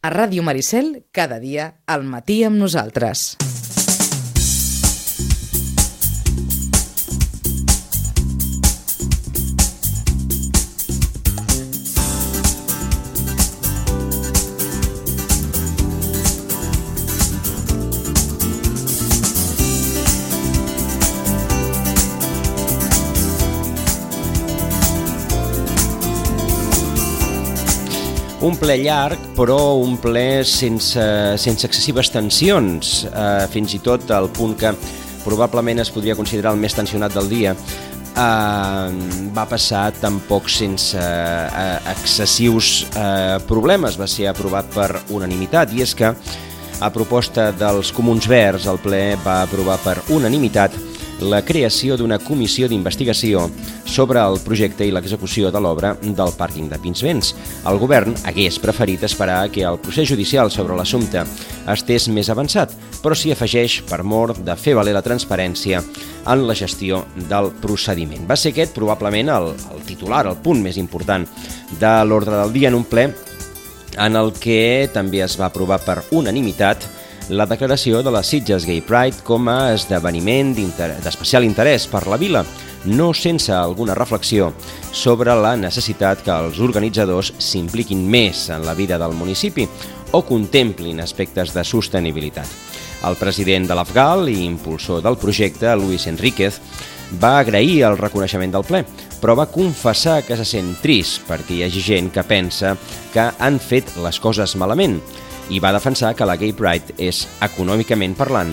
A Ràdio Maricel, cada dia, al matí amb nosaltres. Un ple llarg, però un ple sense excessives tensions, fins i tot al punt que probablement es podria considerar el més tensionat del dia. Va passar tampoc sense excessius problemes, va ser aprovat per unanimitat, i és que a proposta dels Comuns Verds el ple va aprovar per unanimitat la creació d'una comissió d'investigació sobre el projecte i l'execució de l'obra del pàrquing de Pinsbens. El govern hagués preferit esperar que el procés judicial sobre l'assumpte estés més avançat, però s'hi afegeix per mor de fer valer la transparència en la gestió del procediment. Va ser aquest probablement el titular, el punt més important de l'ordre del dia en un ple en el que també es va aprovar per unanimitat la declaració de la Sitges Gay Pride com a esdeveniment d'especial interès per la vila, no sense alguna reflexió sobre la necessitat que els organitzadors s'impliquin més en la vida del municipi o contemplin aspectes de sostenibilitat. El president de l'Afgal i impulsor del projecte, Luis Enríquez, va agrair el reconeixement del ple, però va confessar que se sent trist perquè hi hagi gent que pensa que han fet les coses malament, i va defensar que la Gay Pride és, econòmicament parlant,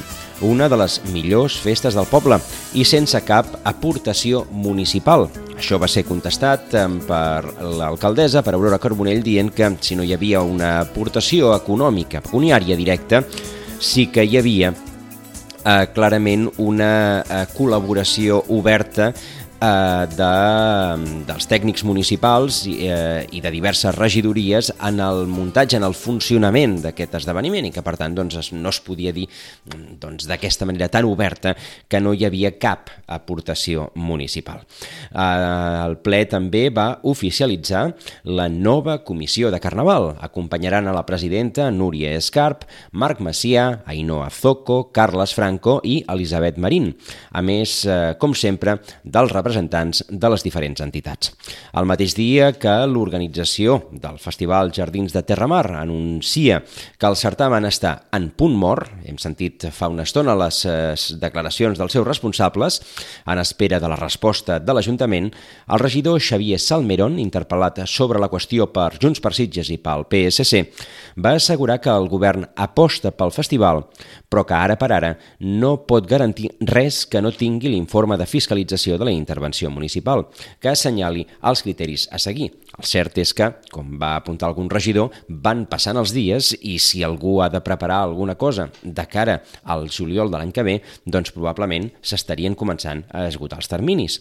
una de les millors festes del poble i sense cap aportació municipal. Això va ser contestat per l'alcaldessa, per Aurora Carbonell, dient que si no hi havia una aportació econòmica, pecuniària directa, sí que hi havia clarament una col·laboració oberta dels tècnics municipals i de diverses regidories en el muntatge, en el funcionament d'aquest esdeveniment, i que per tant no es podia dir d'aquesta manera tan oberta que no hi havia cap aportació municipal. El ple també va oficialitzar la nova comissió de Carnaval. Acompanyaran a la presidenta Núria Escarp, Marc Macià, Ainhoa Zoco, Carles Franco i Elisabet Marín, a més, com sempre, dels representants de les diferents entitats. El mateix dia que l'organització del Festival Jardins de Terramar anuncia que el certamen està en punt mort, hem sentit fa una estona les declaracions dels seus responsables, en espera de la resposta de l'Ajuntament, el regidor Xavier Salmerón, interpel·lat sobre la qüestió per Junts per Sitges i pel PSC, va assegurar que el govern aposta pel festival, però que ara per ara no pot garantir res que no tingui l'informe de fiscalització de la intervenció municipal, que assenyali els criteris a seguir. El cert és que, com va apuntar algun regidor, van passant els dies i si algú ha de preparar alguna cosa de cara al juliol de l'any que ve, doncs probablement s'estarien començant a esgotar els terminis.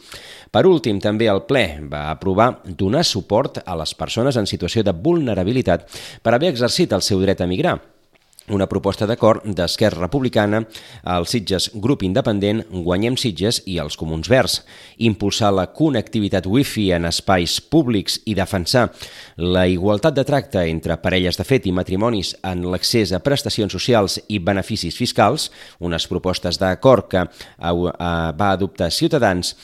Per últim, també el ple va aprovar donar suport a les persones en situació de vulnerabilitat per haver exercit el seu dret a migrar. Una proposta d'acord d'Esquerra Republicana, el Sitges Grup Independent, Guanyem Sitges i els Comuns Verds. Impulsar la connectivitat wifi en espais públics i defensar la igualtat de tracte entre parelles de fet i matrimonis en l'accés a prestacions socials i beneficis fiscals, unes propostes d'acord que va adoptar Ciutadans,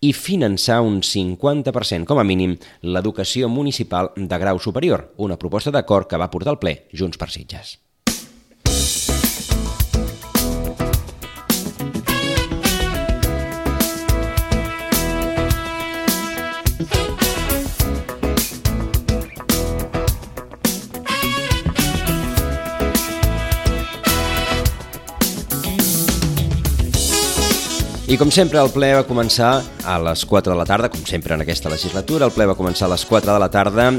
i finançar un 50% com a mínim l'educació municipal de grau superior, una proposta d'acord que va portar al ple Junts per Sitges. I com sempre el ple va començar a les 4 de la tarda, com sempre en aquesta legislatura, el ple va començar a les 4 de la tarda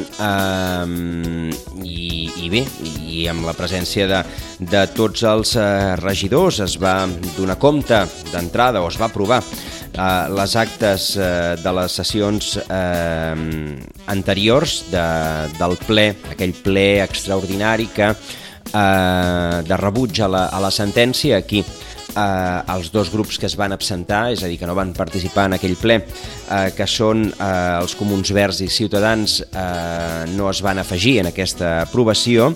i bé, i amb la presència de tots els regidors es va donar compte d'entrada o es va aprovar les actes de les sessions anteriors del ple, aquell ple extraordinari que de rebuig a la sentència aquí els dos grups que es van absentar, és a dir, que no van participar en aquell ple, que són els Comuns Verds i Ciutadans, no es van afegir en aquesta aprovació,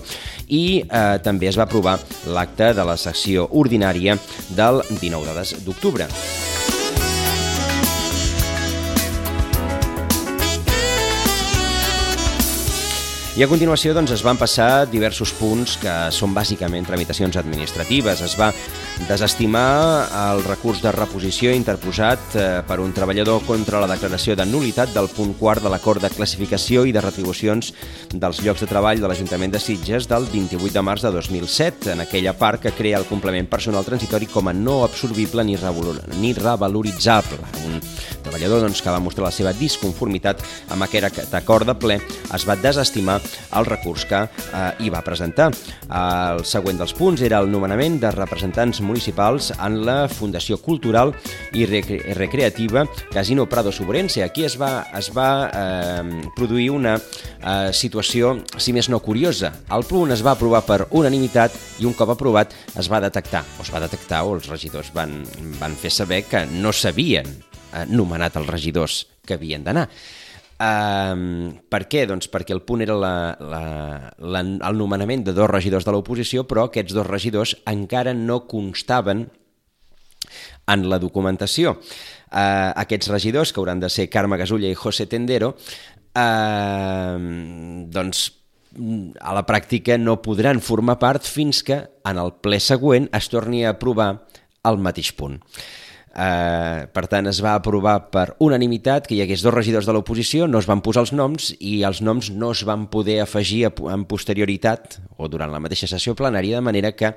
i també es va aprovar l'acte de la sessió ordinària del 19 d'octubre. I a continuació es van passar diversos punts que són bàsicament tramitacions administratives. Es va desestimar el recurs de reposició interposat per un treballador contra la declaració de nul·litat del punt quart de l'acord de classificació i de retribucions dels llocs de treball de l'Ajuntament de Sitges del 28 de març de 2007, en aquella part que crea el complement personal transitori com a no absorbible ni revaloritzable. Un treballador que va mostrar la seva disconformitat amb aquest acord de ple es va desestimar el recurs que hi va presentar. El següent dels punts era el nomenament de representants municipals en la Fundació Cultural i Recreativa Casino Prado Sobrense. Aquí es va produir una situació, si més no curiosa. El punt es va aprovar per unanimitat i un cop aprovat es va detectar o els regidors van fer saber que no s'havien nomenat els regidors que havien d'anar. Per què? Doncs perquè el punt era el nomenament de dos regidors de l'oposició, però aquests dos regidors encara no constaven en la documentació. Aquests regidors, que hauran de ser Carme Gasulla i José Tendero, a la pràctica no podran formar part fins que en el ple següent es torni a aprovar el mateix punt. Per tant, es va aprovar per unanimitat que hi hagués dos regidors de l'oposició, no es van posar els noms i els noms no es van poder afegir en posterioritat o durant la mateixa sessió plenària, de manera que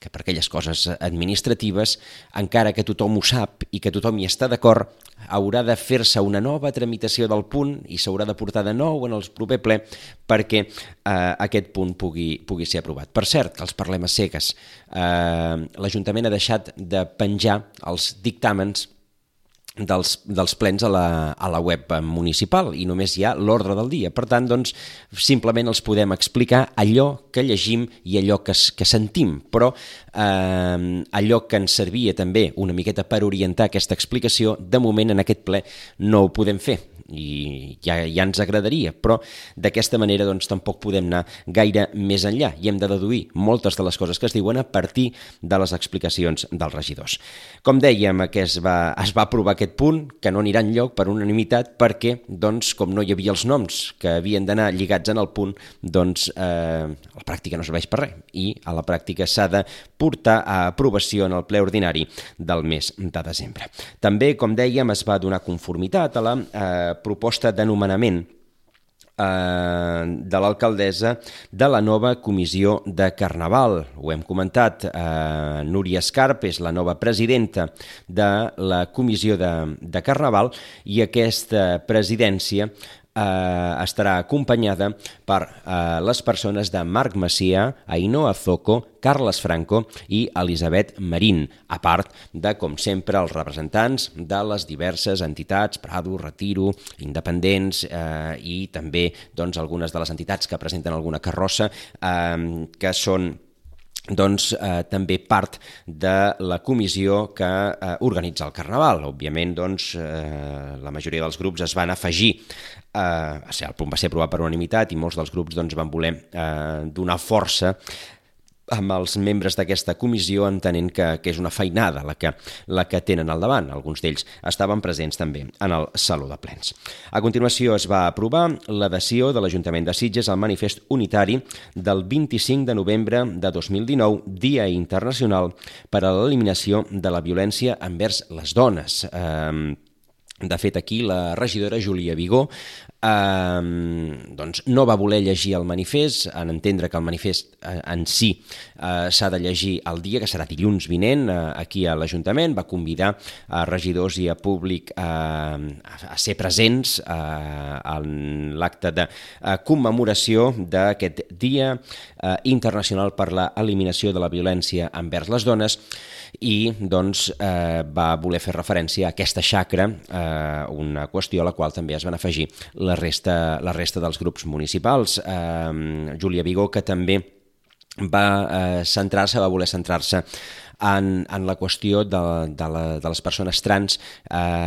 per aquelles coses administratives, encara que tothom ho sap i que tothom hi està d'acord, haurà de fer-se una nova tramitació del punt i s'haurà de portar de nou en el proper ple perquè aquest punt pugui ser aprovat. Per cert, que els parlem a cegues. L'Ajuntament ha deixat de penjar els dictàmens dels plens a la web municipal i només hi ha l'ordre del dia. Per tant, simplement els podem explicar allò que llegim i allò que sentim, però allò que ens servia també una miqueta per orientar aquesta explicació, de moment en aquest ple no ho podem fer i ja ens agradaria, però d'aquesta manera tampoc podem anar gaire més enllà i hem de deduir moltes de les coses que es diuen a partir de les explicacions dels regidors. Com dèiem, es va aprovar aquest punt, que no anirà enlloc per unanimitat perquè, com no hi havia els noms que havien d'anar lligats en el punt, a la pràctica no serveix per res i a la pràctica s'ha de portar a aprovació en el ple ordinari del mes de desembre. També, com dèiem, es va donar conformitat a la proposta de nomenament de l'alcaldessa de la nova comissió de Carnaval. Ho hem comentat, Núria Escarp és la nova presidenta de la comissió de Carnaval i aquesta presidència estarà acompanyada per les persones de Marc Macià, Ainhoa Zoco, Carles Franco i Elisabet Marín, a part de, com sempre, els representants de les diverses entitats, Prado, Retiro, Independents i també algunes de les entitats que presenten alguna carrossa que són també part de la comissió que organitza el Carnaval. Òbviament, la majoria dels grups es van afegir. El punt va ser aprovat per unanimitat i molts dels grups van voler donar força amb els membres d'aquesta comissió, entenent que és una feinada la que tenen al davant. Alguns d'ells estaven presents també en el Saló de Plens. A continuació es va aprovar l'adhesió de l'Ajuntament de Sitges al manifest unitari del 25 de novembre de 2019, Dia Internacional per a l'Eliminació de la Violència envers les Dones. De fet, aquí la regidora Júlia Vigó no va voler llegir el manifest, en entendre que el manifest en si s'ha de llegir el dia, que serà dilluns vinent aquí a l'Ajuntament. Va convidar a regidors i a públic a ser presents en l'acte de commemoració d'aquest Dia Internacional per a l'Eliminació de la Violència envers les Dones i va voler fer referència a aquesta xacra, una qüestió a la qual també es van afegir la resta dels grups municipals. Júlia Vigó, que també va voler centrar-se en la qüestió de les persones trans,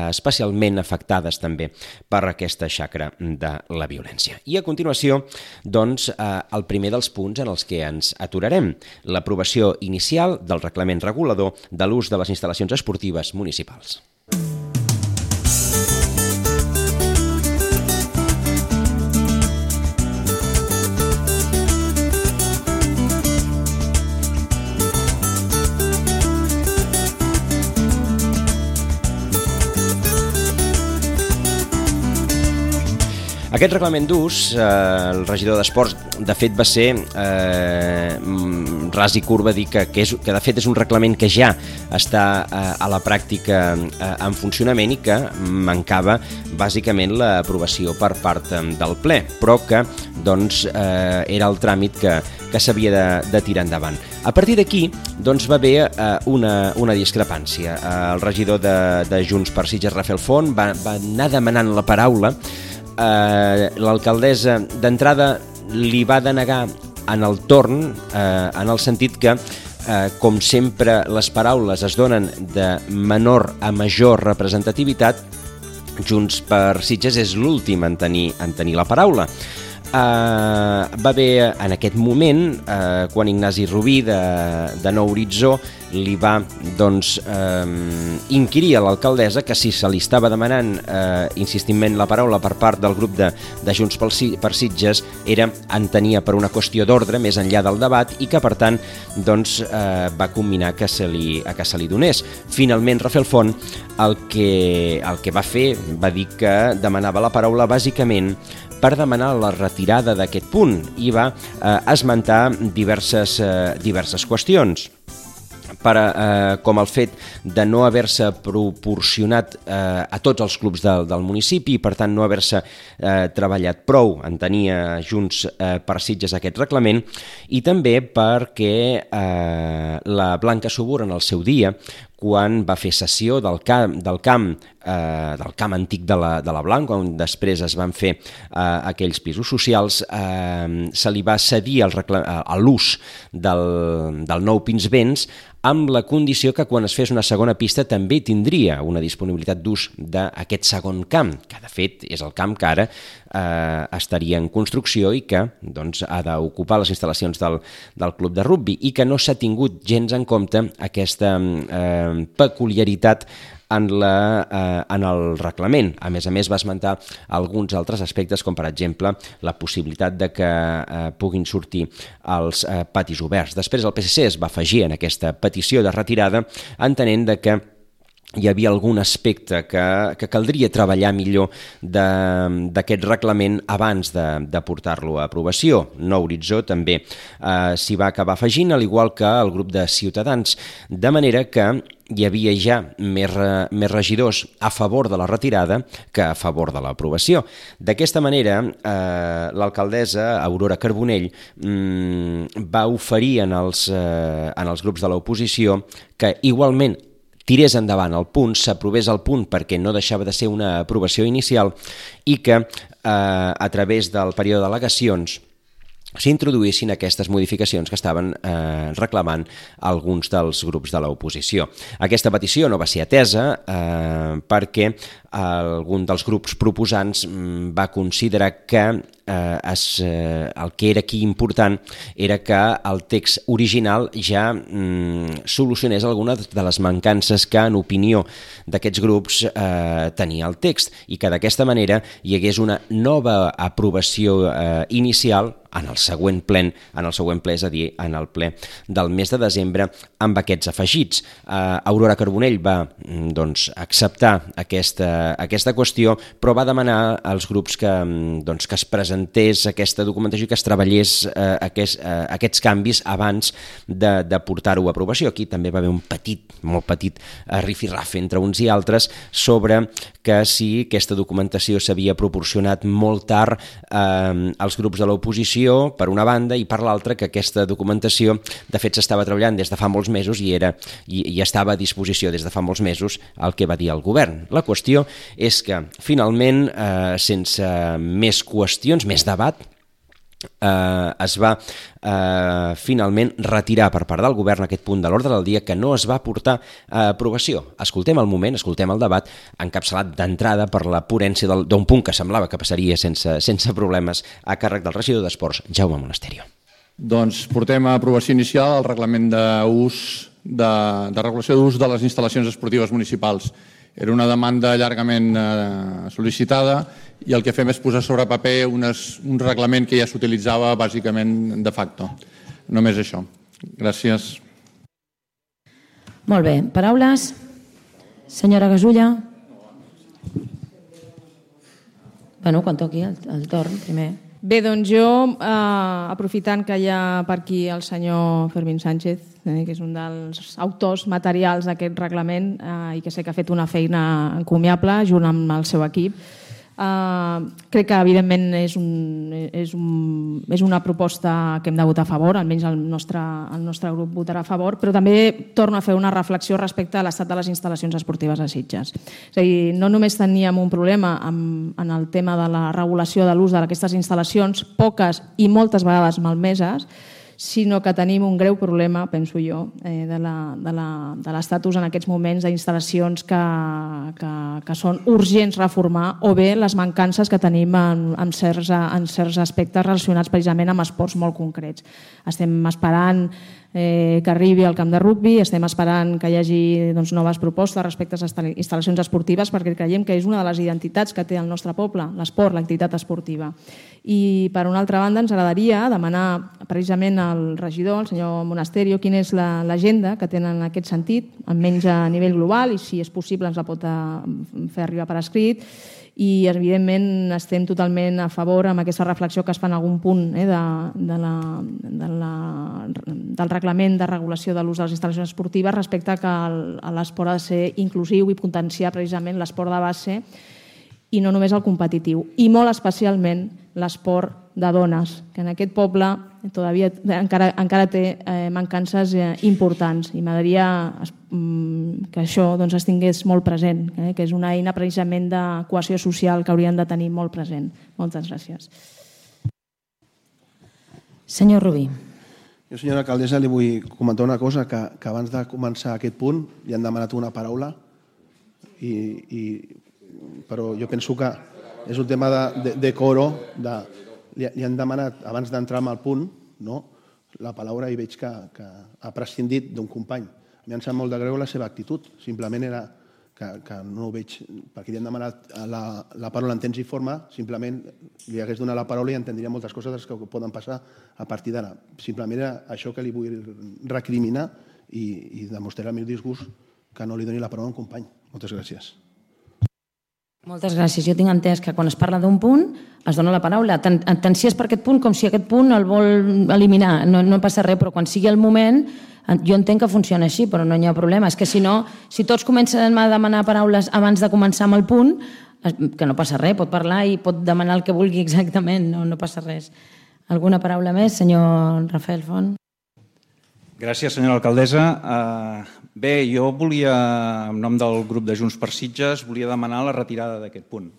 especialment afectades també per aquesta xacra de la violència. I a continuació, doncs, el primer dels punts en els que ens aturarem, l'aprovació inicial del reglament regulador de l'ús de les instal·lacions esportives municipals. Aquest reglament d'ús, el regidor d'Esports, de fet va ser ras i curt, va dir que de fet és un reglament que ja està a la pràctica en funcionament i que mancava bàsicament l'aprovació per part del ple, però que doncs, era el tràmit que s'havia de tirar endavant. A partir d'aquí doncs, va haver una discrepància. El regidor de Junts per Sitges, Rafael Font, va anar demanant la paraula. L'alcaldessa d'entrada li va denegar en el torn, en el sentit que, com sempre, les paraules es donen de menor a major representativitat. Junts per Sitges és l'últim en tenir la paraula. Va haver en aquest moment, quan Ignasi Rubí de Nou Horitzó li va inquirir a l'alcaldessa que si se li estava demanant insistentment la paraula per part del grup de Junts per Sitges entenia per una qüestió d'ordre més enllà del debat i que per tant va combinar que se li donés. Finalment Rafael Font el que va fer va dir que demanava la paraula bàsicament per demanar la retirada d'aquest punt i va esmentar diverses qüestions, com el fet de no haver-se proporcionat a tots els clubs del municipi i per tant no haver-se treballat prou, entenia Junts per Sitges aquest reglament, i també perquè la Blanca Subur en el seu dia, quan va fer cessió del camp antic de la Blanca, on després es van fer aquells pisos socials, se li va cedir l'ús del nou Pinsbens amb la condició que quan es fes una segona pista també tindria una disponibilitat d'ús d'aquest segon camp, que de fet és el camp que ara estaria en construcció i que ha d'ocupar les instal·lacions del club de rugbi, i que no s'ha tingut gens en compte aquesta peculiaritat en el reglament. A més, va esmentar alguns altres aspectes, com per exemple la possibilitat de que puguin sortir els patis oberts. Després el PSC es va afegir en aquesta petició de retirada, entenent que hi havia algun aspecte que caldria treballar millor d'aquest reglament abans de portar-lo a aprovació. Nou Horitzó també s'hi va acabar afegint, al igual que el grup de Ciutadans, de manera que hi havia ja més regidors a favor de la retirada que a favor de l'aprovació. D'aquesta manera, l'alcaldessa Aurora Carbonell va oferir en els grups de l'oposició que igualment tirés endavant el punt, s'aprovés el punt perquè no deixava de ser una aprovació inicial i que a través del període d'al·legacions s'introduïssin aquestes modificacions que estaven reclamant alguns dels grups de l'oposició. Aquesta petició no va ser atesa perquè algun dels grups proposants va considerar que el que era aquí important era que el text original ja solucionés algunes de les mancances que, en opinió d'aquests grups, tenia el text, i que d'aquesta manera hi hagués una nova aprovació inicial en el següent ple, és a dir, en el ple del mes de desembre, amb aquests afegits. Aurora Carbonell va acceptar aquesta qüestió, però va demanar als grups que es presentés aquesta documentació i que es treballés aquests canvis abans de portar-ho a aprovació. Aquí també va haver un molt petit rifirrafe entre uns i altres sobre que si aquesta documentació s'havia proporcionat molt tard als grups de l'oposició, per una banda, i per l'altra que aquesta documentació de fet s'estava treballant des de fa molts mesos i estava a disposició des de fa molts mesos, el que va dir el govern. La qüestió és que finalment, sense més qüestions, més debat, es va finalment retirar per part del govern aquest punt de l'ordre del dia que no es va portar a aprovació. Escoltem el moment, escoltem el debat encapçalat d'entrada per la ponència d'un punt que semblava que passaria sense problemes a càrrec del regidor d'Esports, Jaume Monasterio. Doncs portem a aprovació inicial el reglament de regulació d'ús de les instal·lacions esportives municipals. Era una demanda llargament sol·licitada i el que fem és posar sobre paper un reglament que ja s'utilitzava bàsicament de facto. Només això. Gràcies. Molt bé. Paraules? Senyora Gasulla? Bueno, quan toqui el torn, primer. Bé, doncs jo, aprofitant que hi ha per aquí el senyor Fermín Sánchez, que és un dels autors materials d'aquest reglament i que sé que ha fet una feina encomiable junt amb el seu equip, crec que evidentment és una proposta que hem de votar a favor, almenys el nostre grup votarà a favor, però també torno a fer una reflexió respecte a l'estat de les instal·lacions esportives a Sitges. És a dir, no només teníem un problema en el tema de la regulació de l'ús d'aquestes instal·lacions, poques i moltes vegades malmeses, sinó que tenim un greu problema, penso jo, de l'estatus en aquests moments d'instal·lacions que són urgents reformar o bé les mancances que tenim en certs aspectes relacionats precisament amb esports molt concrets. Estem esperant que arribi al camp de rugbi, estem esperant que hi hagi noves propostes respecte a les instal·lacions esportives perquè creiem que és una de les identitats que té el nostre poble, l'esport, l'activitat esportiva. I per una altra banda ens agradaria demanar precisament al regidor, el senyor Monasterio, quina és l'agenda que tenen en aquest sentit, almenys a nivell global, i si és possible ens la pot fer arribar per escrit. I evidentment estem totalment a favor amb aquesta reflexió que es fa en algun punt del reglament de regulació de l'ús de les instal·lacions esportives respecte que l'esport ha de ser inclusiu i potenciar precisament l'esport de base i no només el competitiu, i molt especialment l'esport de dones, que en aquest poble encara té mancances importants i m'agradaria que això es tingués molt present, que és una eina precisament de cohesió social que hauríem de tenir molt present. Moltes gràcies. Senyor Rubí. Jo, senyora alcaldessa, li vull comentar una cosa, que abans de començar aquest punt li han demanat una paraula, però jo penso que és un tema de coro, li han demanat, abans d'entrar en el punt, la paraula i veig que ha prescindit d'un company. A mi em sap molt de greu la seva actitud, simplement era que no ho veig, perquè li han demanat la paraula en temps i forma, simplement li hagués donat la paraula i entendria moltes coses que poden passar a partir d'ara. Simplement era això que li vull recriminar i demostrar el meu disgust que no li doni la paraula a un company. Moltes gràcies. Moltes gràcies. Jo tinc entès que quan es parla d'un punt es dona la paraula, tant si és per aquest punt com si aquest punt el vol eliminar. No passa res, però quan sigui el moment, jo entenc que funciona així, però no hi ha problema. És que si no, si tots comencen a demanar paraules abans de començar amb el punt, que no passa res, pot parlar i pot demanar el que vulgui exactament, no passa res. Alguna paraula més, senyor Rafael Font? Gràcies, senyora alcaldessa. Bé, jo volia, en nom del grup de Junts per Sitges, volia demanar la retirada d'aquest punt.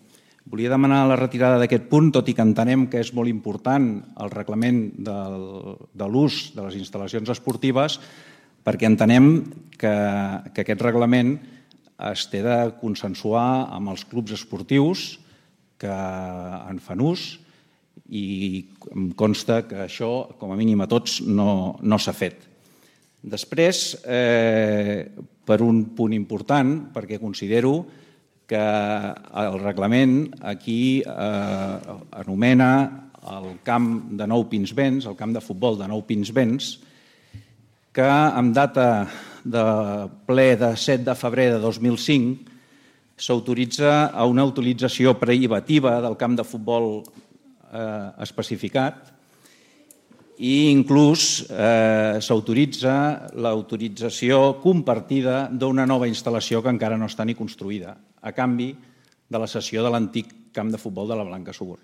Volia demanar la retirada d'aquest punt, tot i que entenem que és molt important el reglament de l'ús de les instal·lacions esportives, perquè entenem que aquest reglament es té de consensuar amb els clubs esportius que en fan ús i em consta que això, com a mínim a tots, no s'ha fet. Després, per un punt important, perquè considero que el reglament aquí anomena el camp de Nou Pinsbens, el camp de futbol de Nou Pinsbens, que amb data de ple de 7 de febrer de 2005 s'autoritza a una utilització privativa del camp de futbol especificat i inclús s'autoritza l'autorització compartida d'una nova instal·lació que encara no està ni construïda, a canvi de la cessió de l'antic camp de futbol de la Blanca Subur.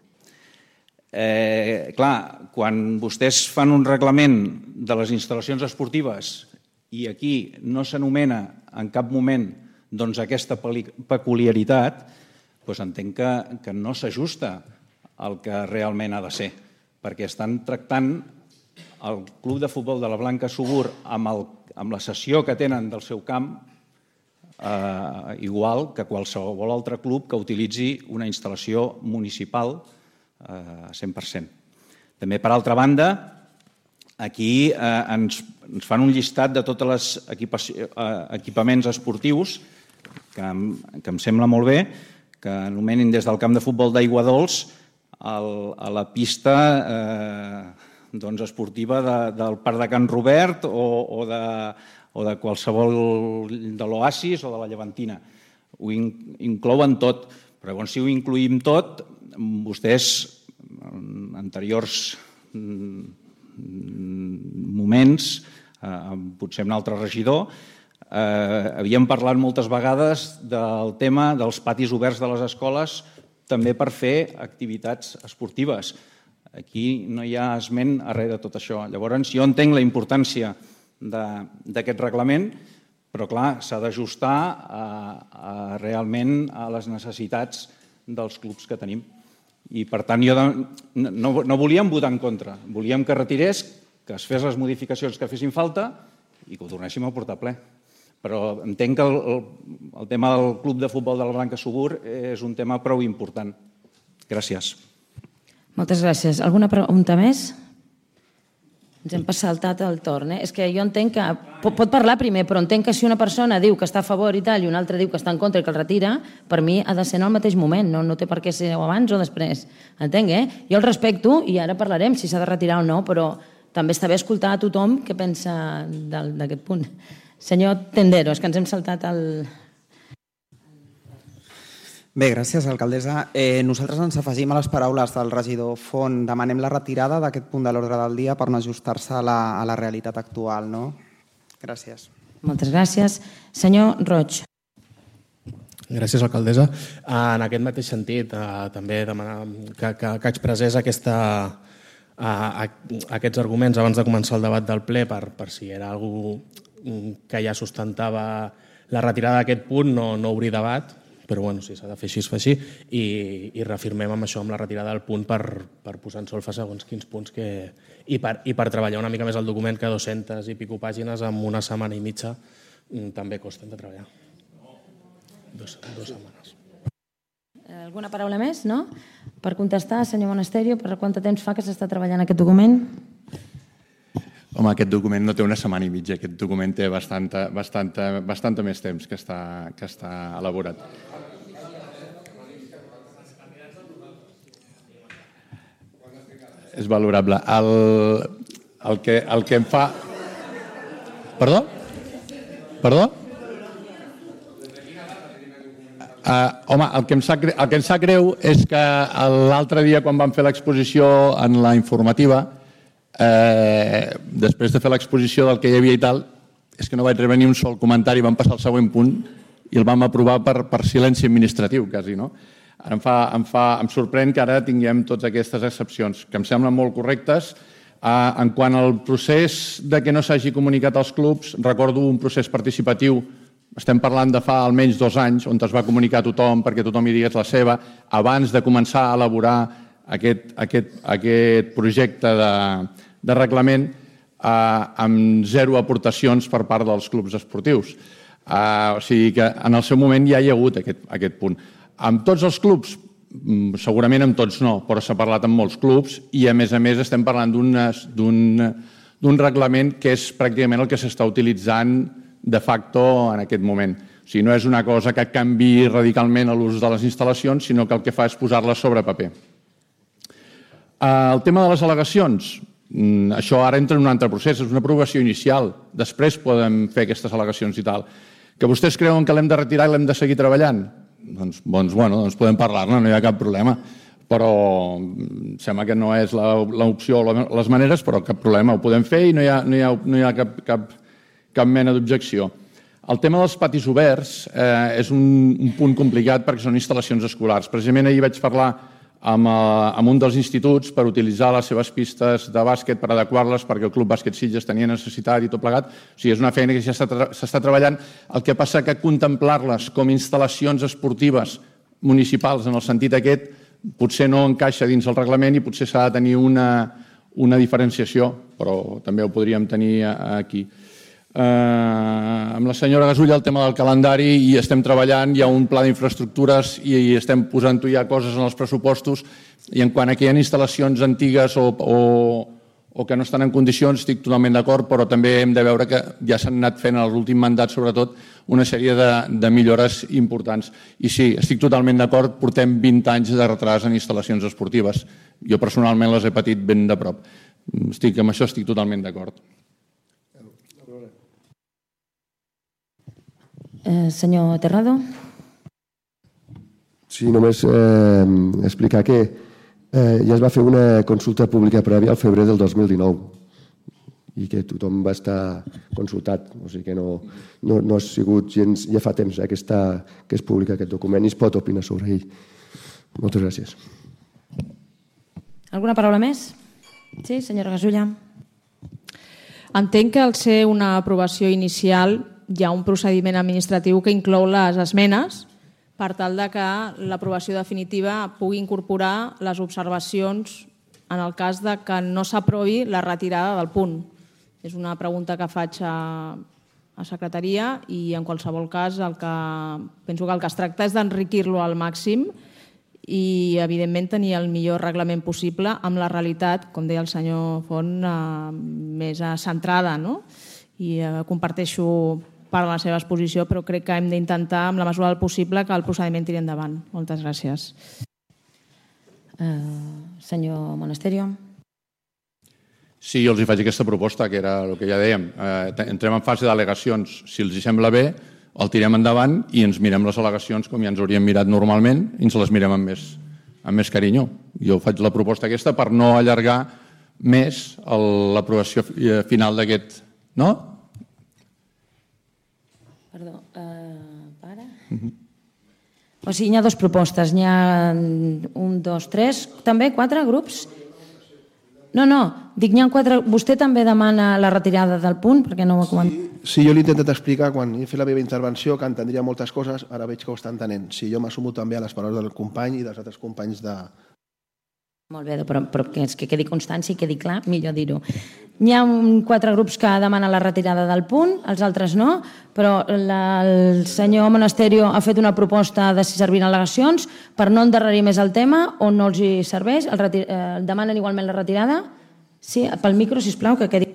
Clar, quan vostès fan un reglament de les instal·lacions esportives i aquí no s'anomena en cap moment aquesta peculiaritat, entenc que no s'ajusta al que realment ha de ser. perquè estan tractant el Club de Futbol de la Blanca Subur amb la cessió que tenen del seu camp igual que qualsevol altre club que utilitzi una instal·lació municipal 100%. També, per altra banda, aquí ens fan un llistat de tots els equipaments esportius que em sembla molt bé, que anomenen des del camp de futbol d'Aigua Dols a la pista esportiva del Parc de Can Robert o de qualsevol de l'Oasis o de la Llevantina. Ho inclouen tot, però llavors si ho incluïm tot, vostès en anteriors moments, potser un altre regidor, havíem parlat moltes vegades del tema dels patis oberts de les escoles també per fer activitats esportives. Aquí no hi ha esment a res de tot això. Llavors, jo entenc la importància d'aquest reglament, però clar, s'ha d'ajustar realment a les necessitats dels clubs que tenim. I per tant, no volíem votar en contra, volíem que retirés, que es fes les modificacions que fessin falta i que ho tornéssim a portar ple. Però entenc que el tema del Club de Futbol de la Blanca Subur és un tema prou important. Gràcies. Moltes gràcies. Alguna pregunta més? Ens hem saltat el torn. És que jo entenc que... Pot parlar primer, però entenc que si una persona diu que està a favor i tal i una altra diu que està en contra i que el retira, per mi ha de ser en el mateix moment, no té per què ser abans o després. Entenc, Jo el respecto i ara parlarem si s'ha de retirar o no, però també està bé escoltar a tothom què pensa d'aquest punt. Senyor Tendero, és que ens hem saltat el... Bé, gràcies, alcaldessa. Nosaltres ens afegim a les paraules del regidor Font. Demanem la retirada d'aquest punt de l'ordre del dia per no ajustar-se a la realitat actual. Gràcies. Moltes gràcies. Senyor Roig. Gràcies, alcaldessa. En aquest mateix sentit, també demanar que expressés aquests arguments abans de començar el debat del ple per si era algú que ja sustentava la retirada d'aquest punt, no obrir debat, però bueno, si s'ha de fer així, es fa així, i reafirmem amb això, amb la retirada del punt per posar en solfa segons quins punts i per treballar una mica més el document, que 200 i pico pàgines en una setmana i mitja també costen de treballar. 2 setmanes. Alguna paraula més, no? Per contestar, senyor Monasterio, per quant temps fa que s'està treballant aquest document? Home, aquest document no té una setmana i mitja, aquest document té bastant més temps que està elaborat. És valorable. El que em fa... Perdó? Home, el que em sap greu és que l'altre dia, quan vam fer l'exposició en la informativa, després de fer l'exposició del que hi havia i tal, és que no vaig rebre ni un sol comentari, vam passar al següent punt i el vam aprovar per silenci administratiu, quasi, no? Ara em sorprèn que ara tinguem totes aquestes excepcions, que em semblen molt correctes. En quant al procés de que no s'hagi comunicat als clubs, recordo un procés participatiu, estem parlant de fa almenys 2 anys, on es va comunicar a tothom perquè tothom hi digués la seva, abans de començar a elaborar aquest projecte de reglament amb 0 aportacions per part dels clubs esportius. O sigui que en el seu moment ja hi ha hagut aquest punt. Amb tots els clubs, segurament amb tots no, però s'ha parlat amb molts clubs i a més estem parlant d'un reglament que és pràcticament el que s'està utilitzant de facto en aquest moment. O sigui, no és una cosa que canviï radicalment l'ús de les instal·lacions, sinó que el que fa és posar-les sobre paper. El tema de les al·legacions, això ara entra en un altre procés, és una aprovació inicial, després podem fer aquestes al·legacions i tal. Que vostès creuen que l'hem de retirar i l'hem de seguir treballant? Doncs podem parlar-ne, no hi ha cap problema, però sembla que no és l'opció o les maneres, però cap problema, ho podem fer i no hi ha cap mena d'objecció. El tema dels patis oberts és un punt complicat perquè són instal·lacions escolars. Precisament ahir vaig parlar amb un dels instituts per utilitzar les seves pistes de bàsquet, per adequar-les perquè el Club Bàsquet Sitges tenia necessitat i tot plegat. O sigui, és una feina que ja s'està treballant. El que passa que contemplar-les com instal·lacions esportives municipals en el sentit aquest potser no encaixa dins el reglament i potser s'ha de tenir una diferenciació, però també ho podríem tenir aquí. Amb la senyora Gasulla el tema del calendari i estem treballant, hi ha un pla d'infraestructures i estem posant-ho ja coses en els pressupostos i en quant a que hi ha instal·lacions antigues o que no estan en condicions estic totalment d'acord, però també hem de veure que ja s'han anat fent en l'últim mandat sobretot una sèrie de millores importants. I sí, estic totalment d'acord, portem 20 anys de retras en instal·lacions esportives. Jo personalment les he patit ben de prop. Amb això estic totalment d'acord. Senyor Terrado. Sí, només explicar que ja es va fer una consulta pública prèvia al febrer del 2019 i que tothom va estar consultat, o sigui que no ha sigut gens, ja fa temps que és públic aquest document i es pot opinar sobre ell. Moltes gràcies. Alguna paraula més? Sí, senyora Gasulla. Entenc que al ser una aprovació inicial hi ha un procediment administratiu que inclou les esmenes per tal de que l'aprovació definitiva pugui incorporar les observacions en el cas de que no s'aprovi la retirada del punt. És una pregunta que faig a secretaria i en qualsevol cas penso que el que es tracta és d'enriquir-lo al màxim i evidentment tenir el millor reglament possible amb la realitat, com deia el senyor Font, més centrada, no? I comparteixo part de la seva exposició, però crec que hem d'intentar, amb la mesura del possible, que el procediment tiri endavant. Moltes gràcies. Senyor Monasterio. Sí, jo els faig aquesta proposta, que era el que ja dèiem. Entrem en fase d'al·legacions. Si els sembla bé, el tirem endavant i ens mirem les al·legacions com ja ens hauríem mirat normalment i ens les mirem amb més carinyo. Jo faig la proposta aquesta per no allargar més l'aprovació final d'aquest... No? Perdó, O sigui, hi ha dues propostes. N'hi ha 1, 2, 3, també 4 grups? No, dic, n'hi ha 4. Vostè també demana la retirada del punt, perquè no ho ha comentat. Sí, jo l'he intentat explicar quan he fet la meva intervenció, que entendria moltes coses, ara veig que ho està entenent. Sí, jo m'assumo també a les paraules del company i dels altres companys de... Molt bé, però que quedi constància i quedi clar, millor dir-ho. Hi ha 4 grups que demanen la retirada del punt, els altres no, però el senyor Monasterio ha fet una proposta de si serviran al·legacions per no endarrerir més el tema o no els hi serveix. Demanen igualment la retirada? Sí, pel micro, sisplau, que quedi...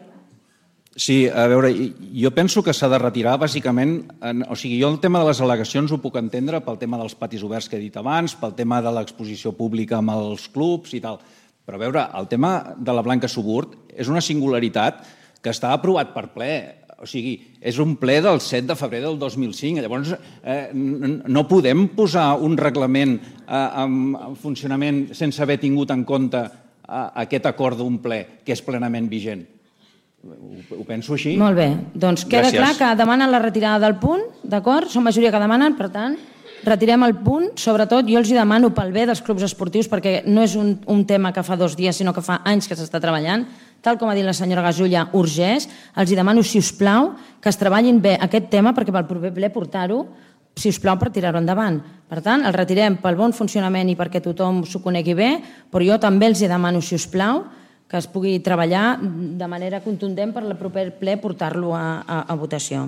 Sí, a veure, jo penso que s'ha de retirar bàsicament, o sigui, jo el tema de les al·legacions ho puc entendre pel tema dels patis oberts que he dit abans, pel tema de l'exposició pública amb els clubs i tal, però a veure, el tema de la Blanca Suburt és una singularitat que està aprovat per ple, o sigui, és un ple del 7 de febrer del 2005, llavors no podem posar un reglament en funcionament sense haver tingut en compte aquest acord d'un ple que és plenament vigent. Ho penso així. Molt bé, doncs queda clar que demanen la retirada del punt, d'acord? Són majoria que demanen, per tant, retirem el punt. Sobretot jo els hi demano pel bé dels clubs esportius, perquè no és un tema que fa 2 dies, sinó que fa anys que s'està treballant, tal com ha dit la senyora Gasulla, urgeix. Els hi demano, si us plau, que es treballin bé aquest tema, perquè pel proper ple portar-ho, si us plau, per tirar-ho endavant. Per tant, el retirem pel bon funcionament i perquè tothom s'ho conegui bé, però jo també els hi demano, si us plau, que es pugui treballar de manera contundent per el proper ple portar-lo a votació.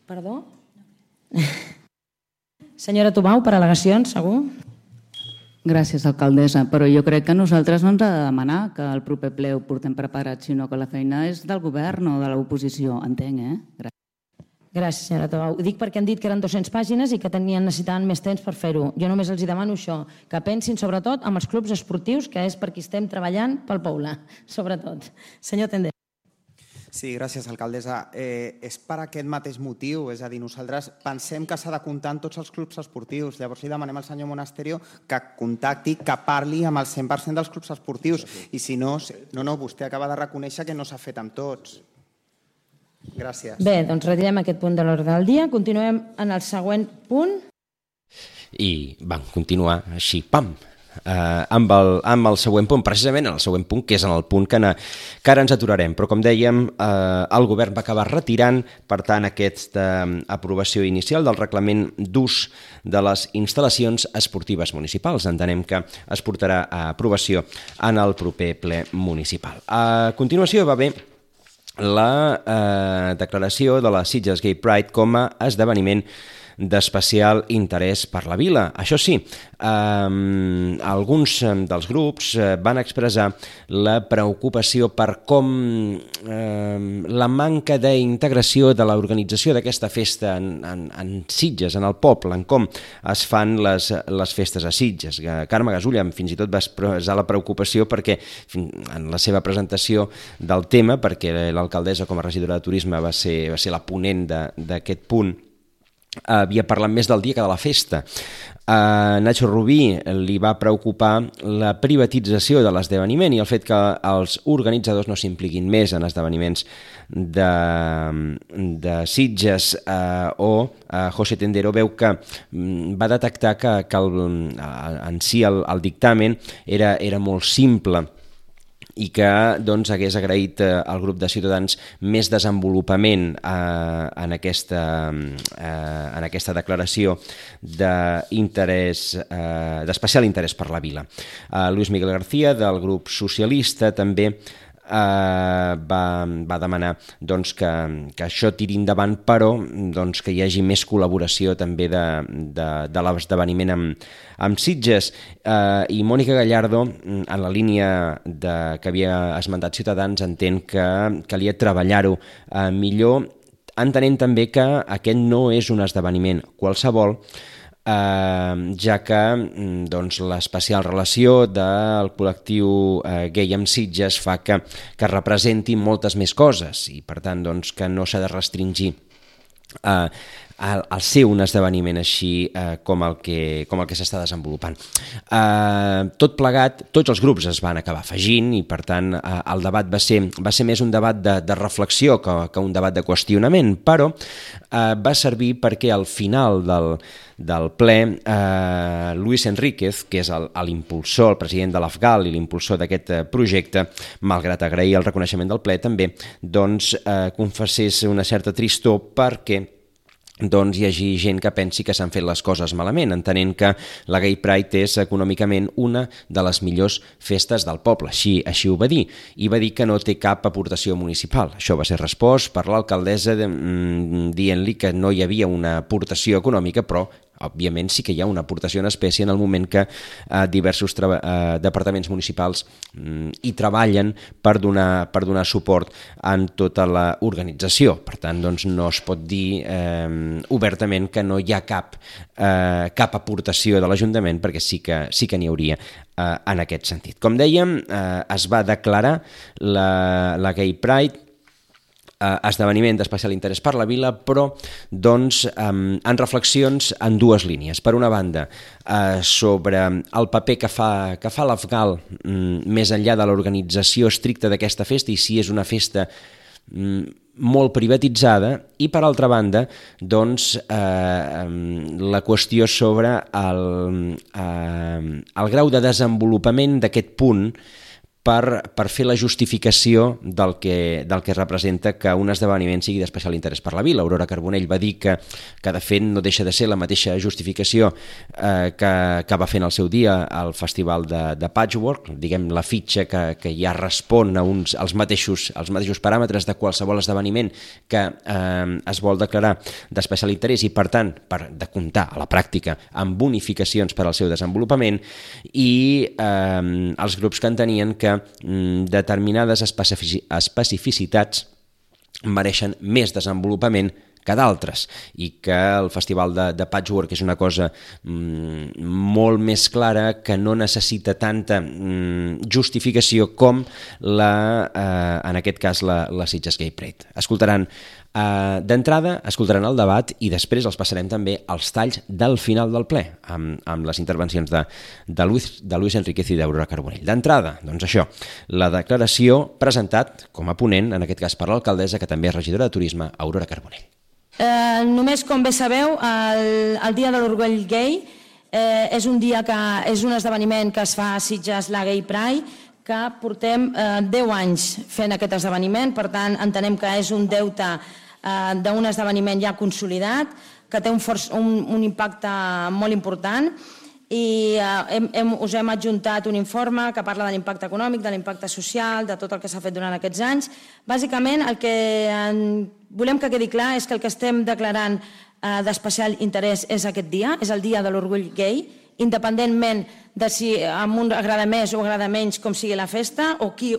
Perdó? Senyora Tubau, per al·legacions, segur? Gràcies, alcaldessa, però jo crec que nosaltres no ens ha de demanar que el proper ple ho portem preparat, sinó que la feina és del govern o de l'oposició, entenc, Gràcies. Gràcies, senyora Tubau. Ho dic perquè han dit que eren 200 pàgines i que necessitaven més temps per fer-ho. Jo només els demano això, que pensin sobretot amb els clubs esportius, que és per qui estem treballant pel poble, sobretot. Senyor Tender. Sí, gràcies, alcaldessa. És per aquest mateix motiu, és a dir, nosaltres pensem que s'ha de comptar amb tots els clubs esportius. Llavors li demanem al senyor Monasterio que contacti, que parli amb el 100% dels clubs esportius. I si no, vostè acaba de reconèixer que no s'ha fet amb tots. Gràcies. Bé, doncs retirem aquest punt de l'ordre del dia. Continuem en el següent punt. I vam continuar així, pam, amb el següent punt, precisament en el següent punt, que és en el punt que ara ens aturarem. Però, com dèiem, el govern va acabar retirant, per tant, aquesta aprovació inicial del reglament d'ús de les instal·lacions esportives municipals. Entenem que es portarà a aprovació en el proper ple municipal. A continuació va haver la declaració de la Sitges Gay Pride com a esdeveniment d'especial interès per la vila. Això sí, alguns dels grups van expressar la preocupació per com la manca d'integració de l'organització d'aquesta festa en Sitges, en el poble, en com es fan les festes a Sitges. Carme Gasulla fins i tot va expressar la preocupació perquè en la seva presentació del tema, perquè l'alcaldessa com a regidora de turisme va ser la ponent d'aquest punt, havia parlat més del dia que de la festa. A Nacho Rubí li va preocupar la privatització de l'esdeveniment i el fet que els organitzadors no s'impliquin més en esdeveniments de Sitges, o José Tendero veu que va detectar que en si el dictamen era molt simple i que hagués agraït al grup de Ciutadans més desenvolupament en aquesta declaració d'especial interès per la vila. Luis Miguel García, del grup socialista, també va demanar que això tiri endavant, però que hi hagi més col·laboració també de l'esdeveniment amb Sitges. I Mònica Gallardo, en la línia que havia esmentat Ciutadans, entén que calia treballar-ho millor, entenent també que aquest no és un esdeveniment qualsevol, ja que l'especial relació del col·lectiu gai amb Sitges fa que representi moltes més coses i per tant que no s'ha de restringir al ser un esdeveniment així com el que s'està desenvolupant. Tot plegat, tots els grups es van acabar afegint i per tant el debat va ser més un debat de reflexió que un debat de qüestionament, però va servir perquè al final del ple Luis Enríquez, que és l'impulsor, el president de l'AFGAL i l'impulsor d'aquest projecte, malgrat agrair el reconeixement del ple, també confessés una certa tristor perquè hi hagi gent que pensi que s'han fet les coses malament, entenent que la Gay Pride és econòmicament una de les millors festes del poble. Així ho va dir, i va dir que no té cap aportació municipal. Això va ser respost per l'alcaldessa dient-li que no hi havia una aportació econòmica, però òbviament sí que hi ha una aportació en espècie en el moment que diversos departaments municipals hi treballen per donar suport en tota l'organització. Per tant, no es pot dir obertament que no hi ha cap aportació de l'Ajuntament, perquè sí que n'hi hauria en aquest sentit. Com dèiem, es va declarar la Gay Pride esdeveniment d'especial interès per la vila, però en reflexions en dues línies. Per una banda, sobre el paper que fa l'AFGAL més enllà de l'organització estricta d'aquesta festa i si és una festa molt privatitzada, i per altra banda la qüestió sobre el grau de desenvolupament d'aquest punt per fer la justificació del que representa que un esdeveniment sigui d'especial interès per la vila. Aurora Carbonell va dir que de fet no deixa de ser la mateixa justificació que va fer en el seu dia al Festival de Patchwork, diguem la fitxa que ja respon als mateixos paràmetres de qualsevol esdeveniment que es vol declarar d'especial interès i per tant de comptar a la pràctica amb bonificacions per al seu desenvolupament, i els grups que entenien que determinades especificitats mereixen més desenvolupament que d'altres, i que el Festival de Patchwork és una cosa molt més clara, que no necessita tanta justificació com en aquest cas la Sitges Gay Pride. D'entrada escoltaran el debat i després els passarem també als talls del final del ple, amb les intervencions de Luis Enríquez i d'Aurora Carbonell. D'entrada, això, la declaració presentat com a ponent, en aquest cas per l'alcaldessa, que també és regidora de turisme, Aurora Carbonell. Només, com bé sabeu, el Dia de l'Orgull Gai És un dia que és un esdeveniment que es fa a Sitges, la Gay Pride, que portem 10 anys fent aquest esdeveniment, per tant entenem que és un deute d'un esdeveniment ja consolidat, que té un impacte molt important, i us hem adjuntat un informe que parla de l'impacte econòmic, de l'impacte social, de tot el que s'ha fet durant aquests anys. Bàsicament, el que volem que quedi clar és que el que estem declarant d'especial interès és aquest dia, és el dia de l'orgull gai, independentment de si a un agrada més o agrada menys com sigui la festa o qui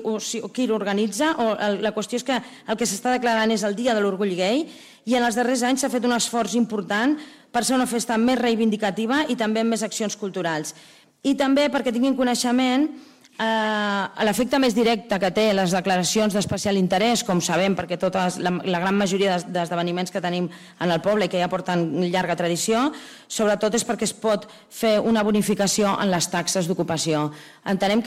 l'organitza. La qüestió és que el que s'està declarant és el dia de l'orgull gai, i en els darrers anys s'ha fet un esforç important per ser una festa més reivindicativa i també amb més accions culturals. I també perquè tinguin coneixement l'efecte més directe que té les declaracions d'especial interès, com sabem, perquè la gran majoria d'esdeveniments que tenim en el poble i que ja porten llarga tradició, sobretot és perquè es pot fer una bonificació en les taxes d'ocupació. Entenem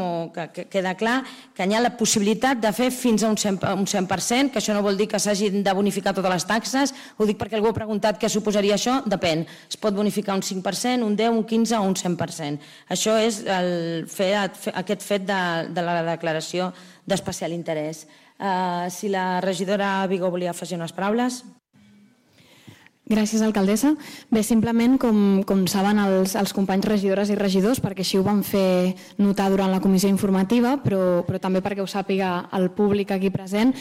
o que queda clar que hi ha la possibilitat de fer fins a un 100%, que això no vol dir que s'hagin de bonificar totes les taxes, ho dic perquè algú ha preguntat què suposaria això, depèn. Es pot bonificar un 5%, un 10%, un 15% o un 100%. Això és aquest fet de la declaració d'especial interès. Si la regidora Vigó volia afegir unes paraules. Gràcies, alcaldessa. Bé, simplement, com saben els companys regidores i regidors, perquè així ho van fer notar durant la comissió informativa, però també perquè ho sàpiga el públic aquí present,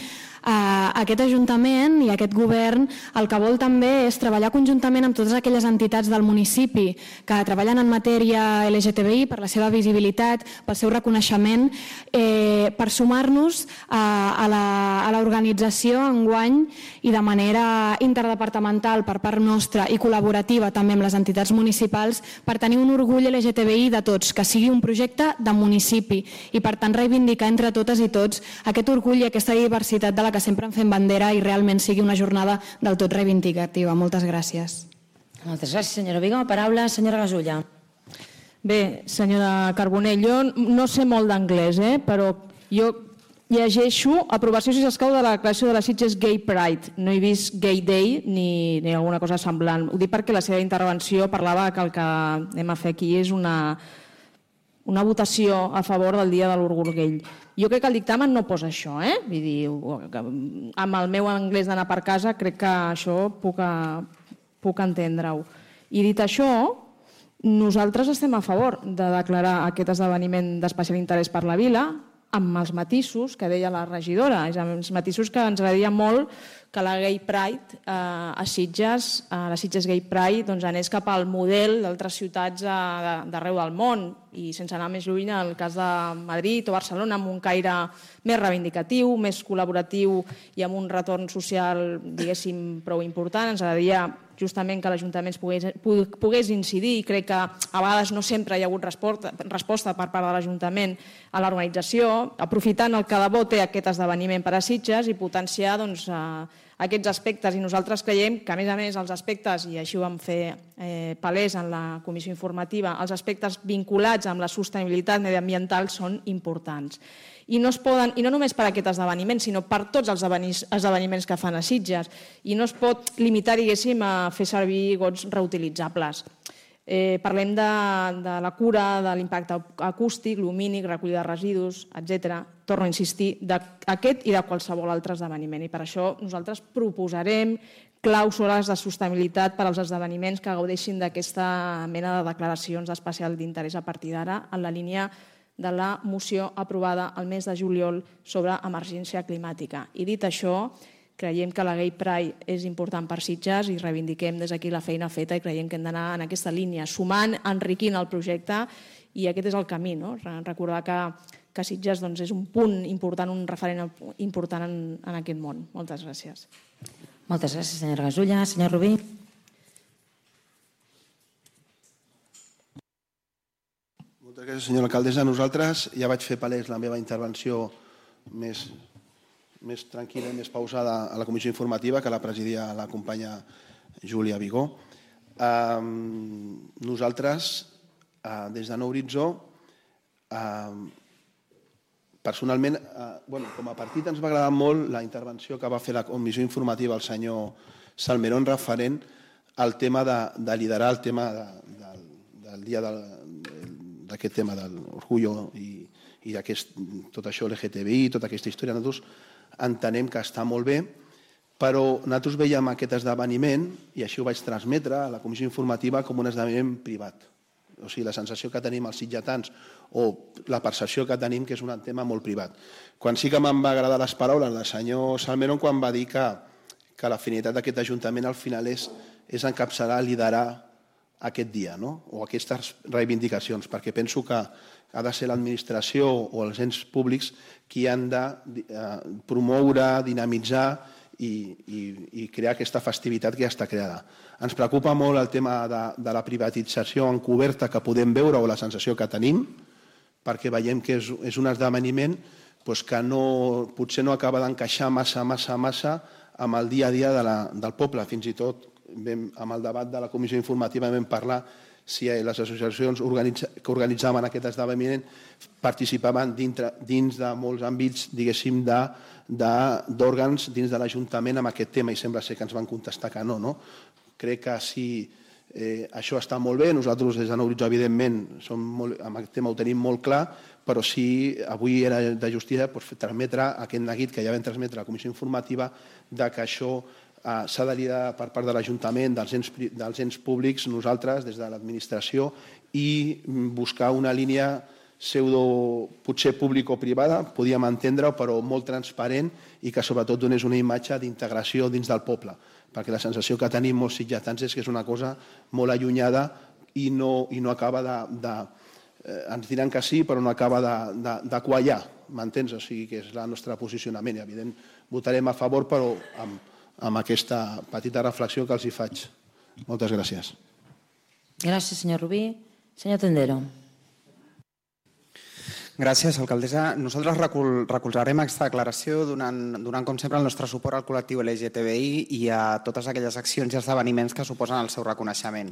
aquest Ajuntament i aquest Govern el que vol també és treballar conjuntament amb totes aquelles entitats del municipi que treballen en matèria LGTBI per la seva visibilitat, pel seu reconeixement, per sumar-nos a l'organització enguany i de manera interdepartamental per part nostra i col·laborativa també amb les entitats municipals per tenir un orgull LGTBI de tots, que sigui un projecte de municipi i per tant reivindicar entre totes i tots aquest orgull i aquesta diversitat de la que sempre en fem bandera i realment sigui una jornada del tot reivindicativa. Moltes gràcies. Moltes gràcies, senyora Vigó. Paraula, senyora Gasulla. Bé, senyora Carbonell, jo no sé molt d'anglès, però jo llegeixo aprovació, si s'escau, de la declaració de la Sitges Gay Pride. No he vist Gay Day ni alguna cosa semblant. Ho dic perquè la seva intervenció parlava que el que anem a fer aquí és una votació a favor del dia de l'orgull gai. Jo crec que el dictamen no posa això, Vull dir, amb el meu anglès d'anar per casa crec que això puc entendre-ho. I dit això, nosaltres estem a favor de declarar aquest esdeveniment d'especial interès per la vila, amb els matisos que deia la regidora, els matisos que ens agradaria molt que la Gay Pride a Sitges, la Sitges Gay Pride, anés cap al model d'altres ciutats d'arreu del món i sense anar més lluny al cas de Madrid o Barcelona, amb un caire més reivindicatiu, més col·laboratiu i amb un retorn social, diguéssim, prou important. Ens agradaria justament que l'Ajuntament pogués incidir i crec que a vegades no sempre hi ha hagut resposta per part de l'Ajuntament a l'organització, aprofitant el que de bo té aquest esdeveniment per a Sitges i potenciar aquests aspectes. I nosaltres creiem que, a més, els aspectes, i així ho vam fer palès en la comissió informativa, els aspectes vinculats amb la sostenibilitat mediambiental són importants. I no només per aquest esdeveniment, sinó per tots els esdeveniments que fan a Sitges. I no es pot limitar, diguéssim, a fer servir gots reutilitzables. Parlem de la cura, de l'impacte acústic, lumínic, recollida de residus, etc. Torno a insistir, d'aquest i de qualsevol altre esdeveniment. I per això nosaltres proposarem clàusules de sostenibilitat per als esdeveniments que gaudeixin d'aquesta mena de declaracions d'especial d'interès a partir d'ara, en la línia de la moció aprovada el mes de juliol sobre emergència climàtica. I dit això, creiem que la Gay Pride és important per Sitges i reivindiquem des d'aquí la feina feta i creiem que hem d'anar en aquesta línia, sumant, enriquint el projecte, i aquest és el camí, recordar que Sitges és un punt important, un referent important en aquest món. Moltes gràcies. Moltes gràcies, senyora Gasulla. Senyor Rubí. Moltes gràcies, senyora alcaldessa. Nosaltres ja vaig fer palès la meva intervenció més tranquil·la i més pausada a la comissió informativa, que la presidia la companya Júlia Vigó. Nosaltres, des de Nou Horitzó, personalment, com a partit ens va agradar molt la intervenció que va fer la comissió informativa el senyor Salmerón referent el tema de liderar el tema del dia d'aquest tema de l'orgullo i tot això LGTBI, tota aquesta història. Nosaltres entenem que està molt bé, però nosaltres veiem aquest esdeveniment, i així ho vaig transmetre a la comissió informativa, com un esdeveniment privat. O sigui, la sensació que tenim els sitgetans o la percepció que tenim que és un tema molt privat. Quan sí que m'han va agradar les paraules del senyor Salmerón quan va dir que la finalitat d'aquest ajuntament al final és encapçalar, liderar aquest dia, o aquestes reivindicacions, perquè penso que ha de ser l'administració o els ens públics qui han de promoure, dinamitzar i crear aquesta festivitat que ja està creada. Ens preocupa molt el tema de la privatització encoberta que podem veure o la sensació que tenim, perquè veiem que és un esdeveniment que potser no acaba d'encaixar massa amb el dia a dia del poble. Fins i tot amb el debat de la comissió informativa vam parlar si les associacions que organitzaven aquest esdeveniment participaven dins de molts àmbits, diguéssim, d'òrgans dins de l'Ajuntament amb aquest tema, i sembla ser que ens van contestar que no. Crec que sí, això està molt bé, nosaltres des de Nou Horitzó, evidentment, amb aquest tema ho tenim molt clar, però sí, avui era de justícia transmetre aquest neguit que ja vam transmetre a la comissió informativa de que això s'ha de liderar per part de l'Ajuntament, dels ens públics, nosaltres, des de l'administració, i buscar una línia potser público-privada, podíem entendre, però molt transparent i que sobretot donés una imatge d'integració dins del poble, perquè la sensació que tenim molts sitgetans és que és una cosa molt allunyada i no acaba ens diran que sí, però no acaba de quallar, m'entens? O sigui que és el nostre posicionament i evident votarem a favor, però amb aquesta petita reflexió que els hi faig. Moltes gràcies. Gràcies, senyor Rubí. Senyor Tendero. Gràcies, alcaldessa. Nosaltres recolzarem aquesta declaració donant, com sempre, el nostre suport al col·lectiu LGTBI i a totes aquelles accions i esdeveniments que suposen el seu reconeixement.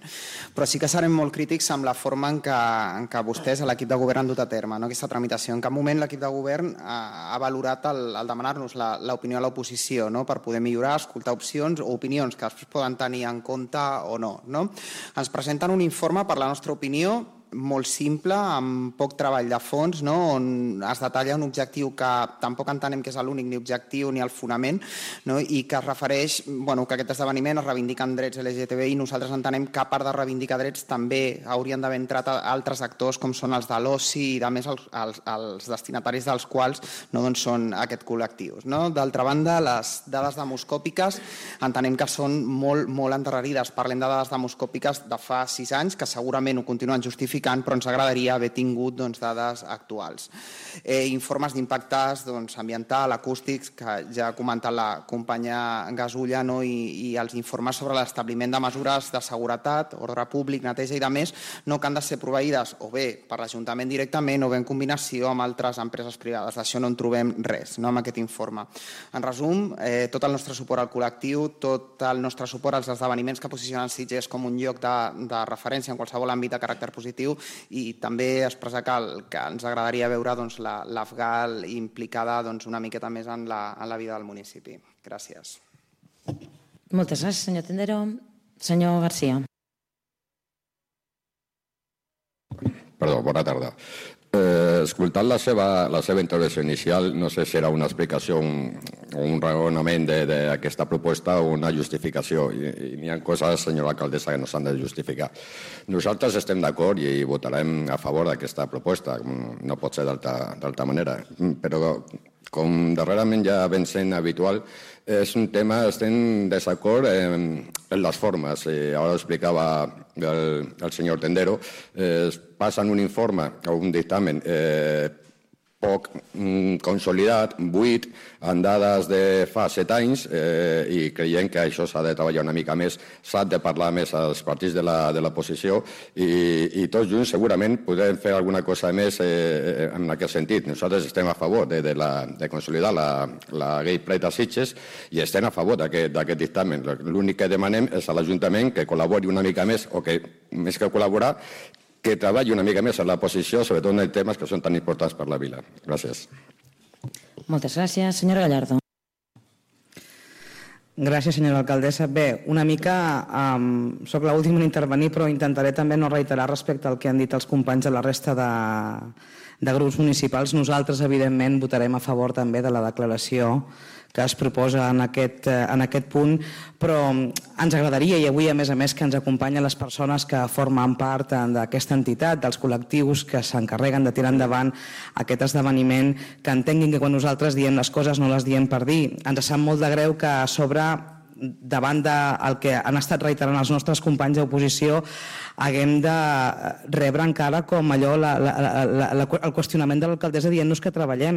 Però sí que serem molt crítics amb la forma en què vostès, a l'equip de govern, han dut a terme aquesta tramitació. En cap moment l'equip de govern ha valorat el demanar-nos l'opinió de l'oposició per poder millorar, escoltar opcions o opinions que després poden tenir en compte o no. Ens presenten un informe, per la nostra opinió, molt simple, amb poc treball de fons, on es detalla un objectiu que tampoc entenem que és l'únic ni objectiu ni el fonament, i que es refereix que aquest esdeveniment es reivindiquen drets LGTBI, i nosaltres entenem que a part de reivindicar drets també haurien d'haver entrat altres actors com són els de l'oci i a més els destinataris dels quals són aquest col·lectiu. D'altra banda, les dades demoscòpiques entenem que són molt endarrerides. Parlem de dades demoscòpiques de fa 6 anys, que segurament ho continuen justificant, però ens agradaria haver tingut dades actuals. Informes d'impactes ambiental, acústics, que ja ha comentat la companya Gasulla, i els informes sobre l'establiment de mesures de seguretat, ordre públic, neteja i demés, que han de ser proveïdes o bé per l'Ajuntament directament o bé en combinació amb altres empreses privades. D'això no en trobem res amb aquest informe. En resum, tot el nostre suport al col·lectiu, tot el nostre suport als esdeveniments que posicionen Sitges com un lloc de referència en qualsevol àmbit de caràcter positiu, i també expressar que ens agradaria veure l'Afgal implicada una miqueta més en la vida del municipi. Gràcies. Moltes gràcies, senyor Tendero. Senyor García. Perdó, bona tarda. Escoltant la seva intervenció inicial, no sé si era una explicació o un raonament d'aquesta proposta o una justificació. I n'hi ha coses, senyora alcaldessa, que no s'han de justificar. Nosaltres estem d'acord i votarem a favor d'aquesta proposta, no pot ser d'altra manera. Però, com darrerament ja ben sent habitual, és un tema, estem en desacord en les formes. Ara ho explicava el senyor Tendero. Es passa en un informe o un dictamen poc consolidat, buit, amb dades de fa 7 anys, i creiem que això s'ha de treballar una mica més, s'ha de parlar més als partits de l'oposició i tots junts segurament podem fer alguna cosa més en aquest sentit. Nosaltres estem a favor de consolidar la llei Plec de Sitges i estem a favor d'aquest dictamen. L'únic que demanem és a l'Ajuntament que col·labori una mica més, o que més que col·laborar, que treballi una mica més en la posició, sobretot en temes que són tan importants per la vila. Gràcies. Moltes gràcies. Senyor Gallardo. Gràcies, senyora alcaldessa. Bé, una mica soc l'última en intervenir, però intentaré també no reiterar respecte al que han dit els companys de la resta de grups municipals. Nosaltres, evidentment, votarem a favor també de la declaració que es proposa en aquest punt, però ens agradaria, i avui a més que ens acompanyen les persones que formen part d'aquesta entitat, dels col·lectius que s'encarreguen de tirar endavant aquest esdeveniment, que entenguin que quan nosaltres diem les coses no les diem per dir. Ens sap molt de greu que a sobre, davant del que han estat reiterant els nostres companys d'oposició, haguem de rebre encara com allò el qüestionament de l'alcaldessa dient-nos que treballem.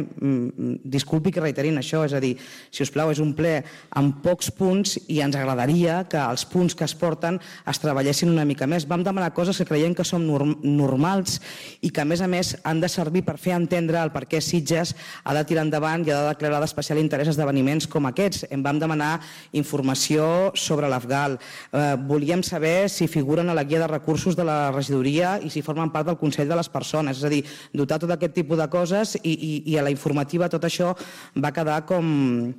Disculpi que reiterin això, és a dir, si us plau, és un ple amb pocs punts i ens agradaria que els punts que es porten es treballessin una mica més. Vam demanar coses que creiem que són normals i que a més han de servir per fer entendre el per què Sitges ha de tirar endavant i ha de declarar d'especial interès esdeveniments com aquests. Em vam demanar informació sobre l'Afgal. Volíem saber si figuren a la guia de recursos de la regidoria i si formen part del Consell de les Persones. És a dir, dotar tot aquest tipus de coses i a la informativa tot això va quedar com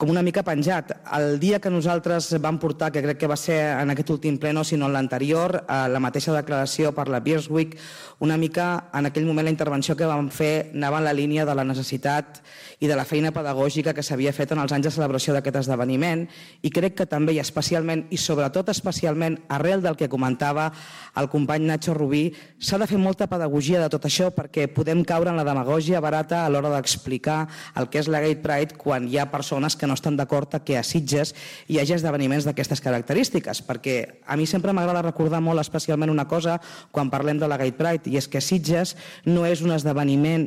una mica penjat. El dia que nosaltres vam portar, que crec que va ser en aquest últim pleno, sinó en l'anterior, la mateixa declaració per la Beers Week, una mica en aquell moment la intervenció que vam fer anava en la línia de la necessitat i de la feina pedagògica que s'havia fet en els anys de celebració d'aquest esdeveniment, i crec que també i especialment, i sobretot especialment arrel del que comentava el company Nacho Rubí, s'ha de fer molta pedagogia de tot això perquè podem caure en la demagògia barata a l'hora d'explicar el que és la Gay Pride quan hi ha persones que no estan d'acord que a Sitges hi hagi esdeveniments d'aquestes característiques, perquè a mi sempre m'agrada recordar molt especialment una cosa quan parlem de la Gay Pride, i és que Sitges no és un esdeveniment,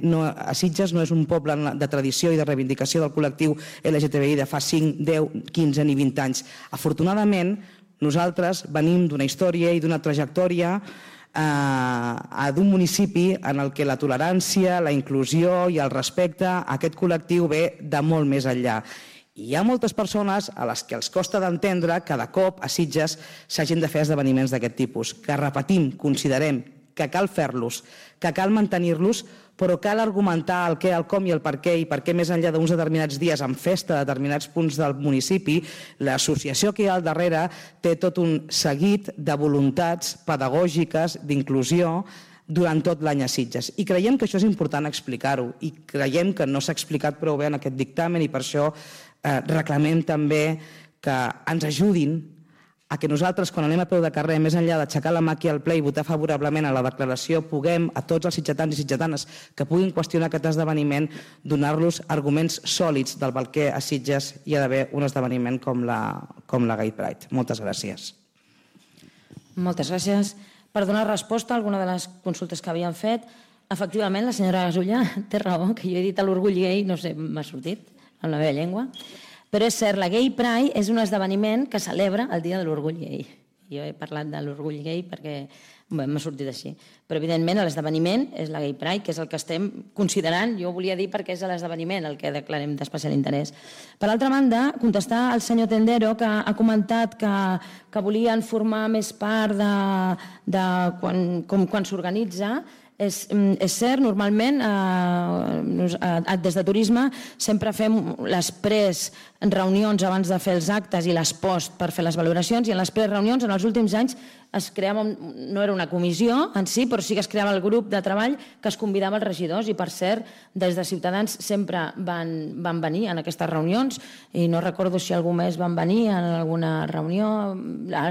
Sitges no és un poble de tradició i de reivindicació del col·lectiu LGTBI de fa 5, 10, 15 ni 20 anys. Afortunadament, nosaltres venim d'una història i d'una trajectòria d'un municipi en el que la tolerància, la inclusió i el respecte a aquest col·lectiu ve de molt més enllà. Hi ha moltes persones a les que els costa d'entendre que de cop a Sitges s'hagin de fer esdeveniments d'aquest tipus, que repetim, considerem que cal fer-los, que cal mantenir-los, però cal argumentar el què, el com i el per què, i per què més enllà d'uns determinats dies en festa a determinats punts del municipi, l'associació que hi ha al darrere té tot un seguit de voluntats pedagògiques, d'inclusió, durant tot l'any a Sitges. I creiem que això és important explicar-ho, i creiem que no s'ha explicat prou bé en aquest dictamen, i per això reclamem també que ens ajudin a que nosaltres, quan anem a peu de carrer, més enllà d'aixecar la mà aquí al ple i votar favorablement a la declaració, puguem, a tots els sitgetans i sitgetanes que puguin qüestionar aquest esdeveniment, donar-los arguments sòlids del per què a Sitges hi ha d'haver un esdeveniment com la Gay Pride. Moltes gràcies. Moltes gràcies. Per donar resposta a alguna de les consultes que havien fet, efectivament, la senyora Gasulla té raó, que jo he dit a l'orgull gay, no sé, m'ha sortit en la meva llengua, però és cert, la Gay Pride és un esdeveniment que celebra el dia de l'orgull gay. Jo he parlat de l'orgull gay perquè m'ha sortit així. Però, evidentment, l'esdeveniment és la Gay Pride, que és el que estem considerant, jo volia dir perquè és l'esdeveniment el que declarem d'especial interès. Per altra banda, contestar al senyor Tendero, que ha comentat que volien formar més part de quan s'organitza. És cert, normalment des de turisme sempre fem les reunions abans de fer els actes i les post per fer les valoracions, i en les reunions en els últims anys es creava, no era una comissió en si, però sí que es creava el grup de treball que es convidava els regidors, i per cert, des de Ciutadans sempre van venir en aquestes reunions, i no recordo si algú més van venir en alguna reunió.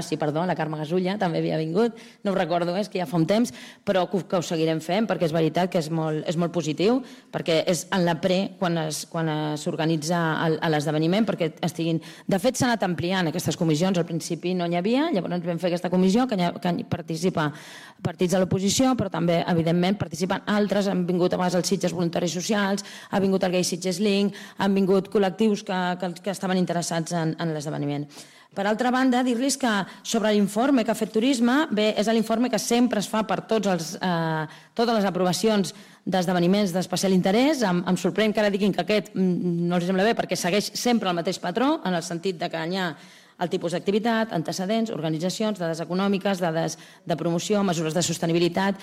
Sí, perdó, la Carme Gasulla també havia vingut, no ho recordo, és que ja fa un temps, però que ho seguirem fent perquè és veritat que és molt positiu, perquè és en la quan s'organitza l'esdeveniment, perquè estiguin... De fet, s'han anat ampliant aquestes comissions, al principi no n'hi havia, llavors vam fer aquesta comissió que hi participa partits de l'oposició, però també, evidentment, participen altres. Han vingut a vegades els Sitges Voluntaris Socials, ha vingut el Gay Sitges Link, han vingut col·lectius que estaven interessats en l'esdeveniment. Per altra banda, dir-los que sobre l'informe que ha fet Turisme, bé, és l'informe que sempre es fa per totes les aprovacions d'esdeveniments d'especial interès. Em sorprèn que ara diguin que aquest no els sembla bé perquè segueix sempre el mateix patró, en el sentit que hi ha el tipus d'activitat, antecedents, organitzacions, dades econòmiques, dades de promoció, mesures de sostenibilitat.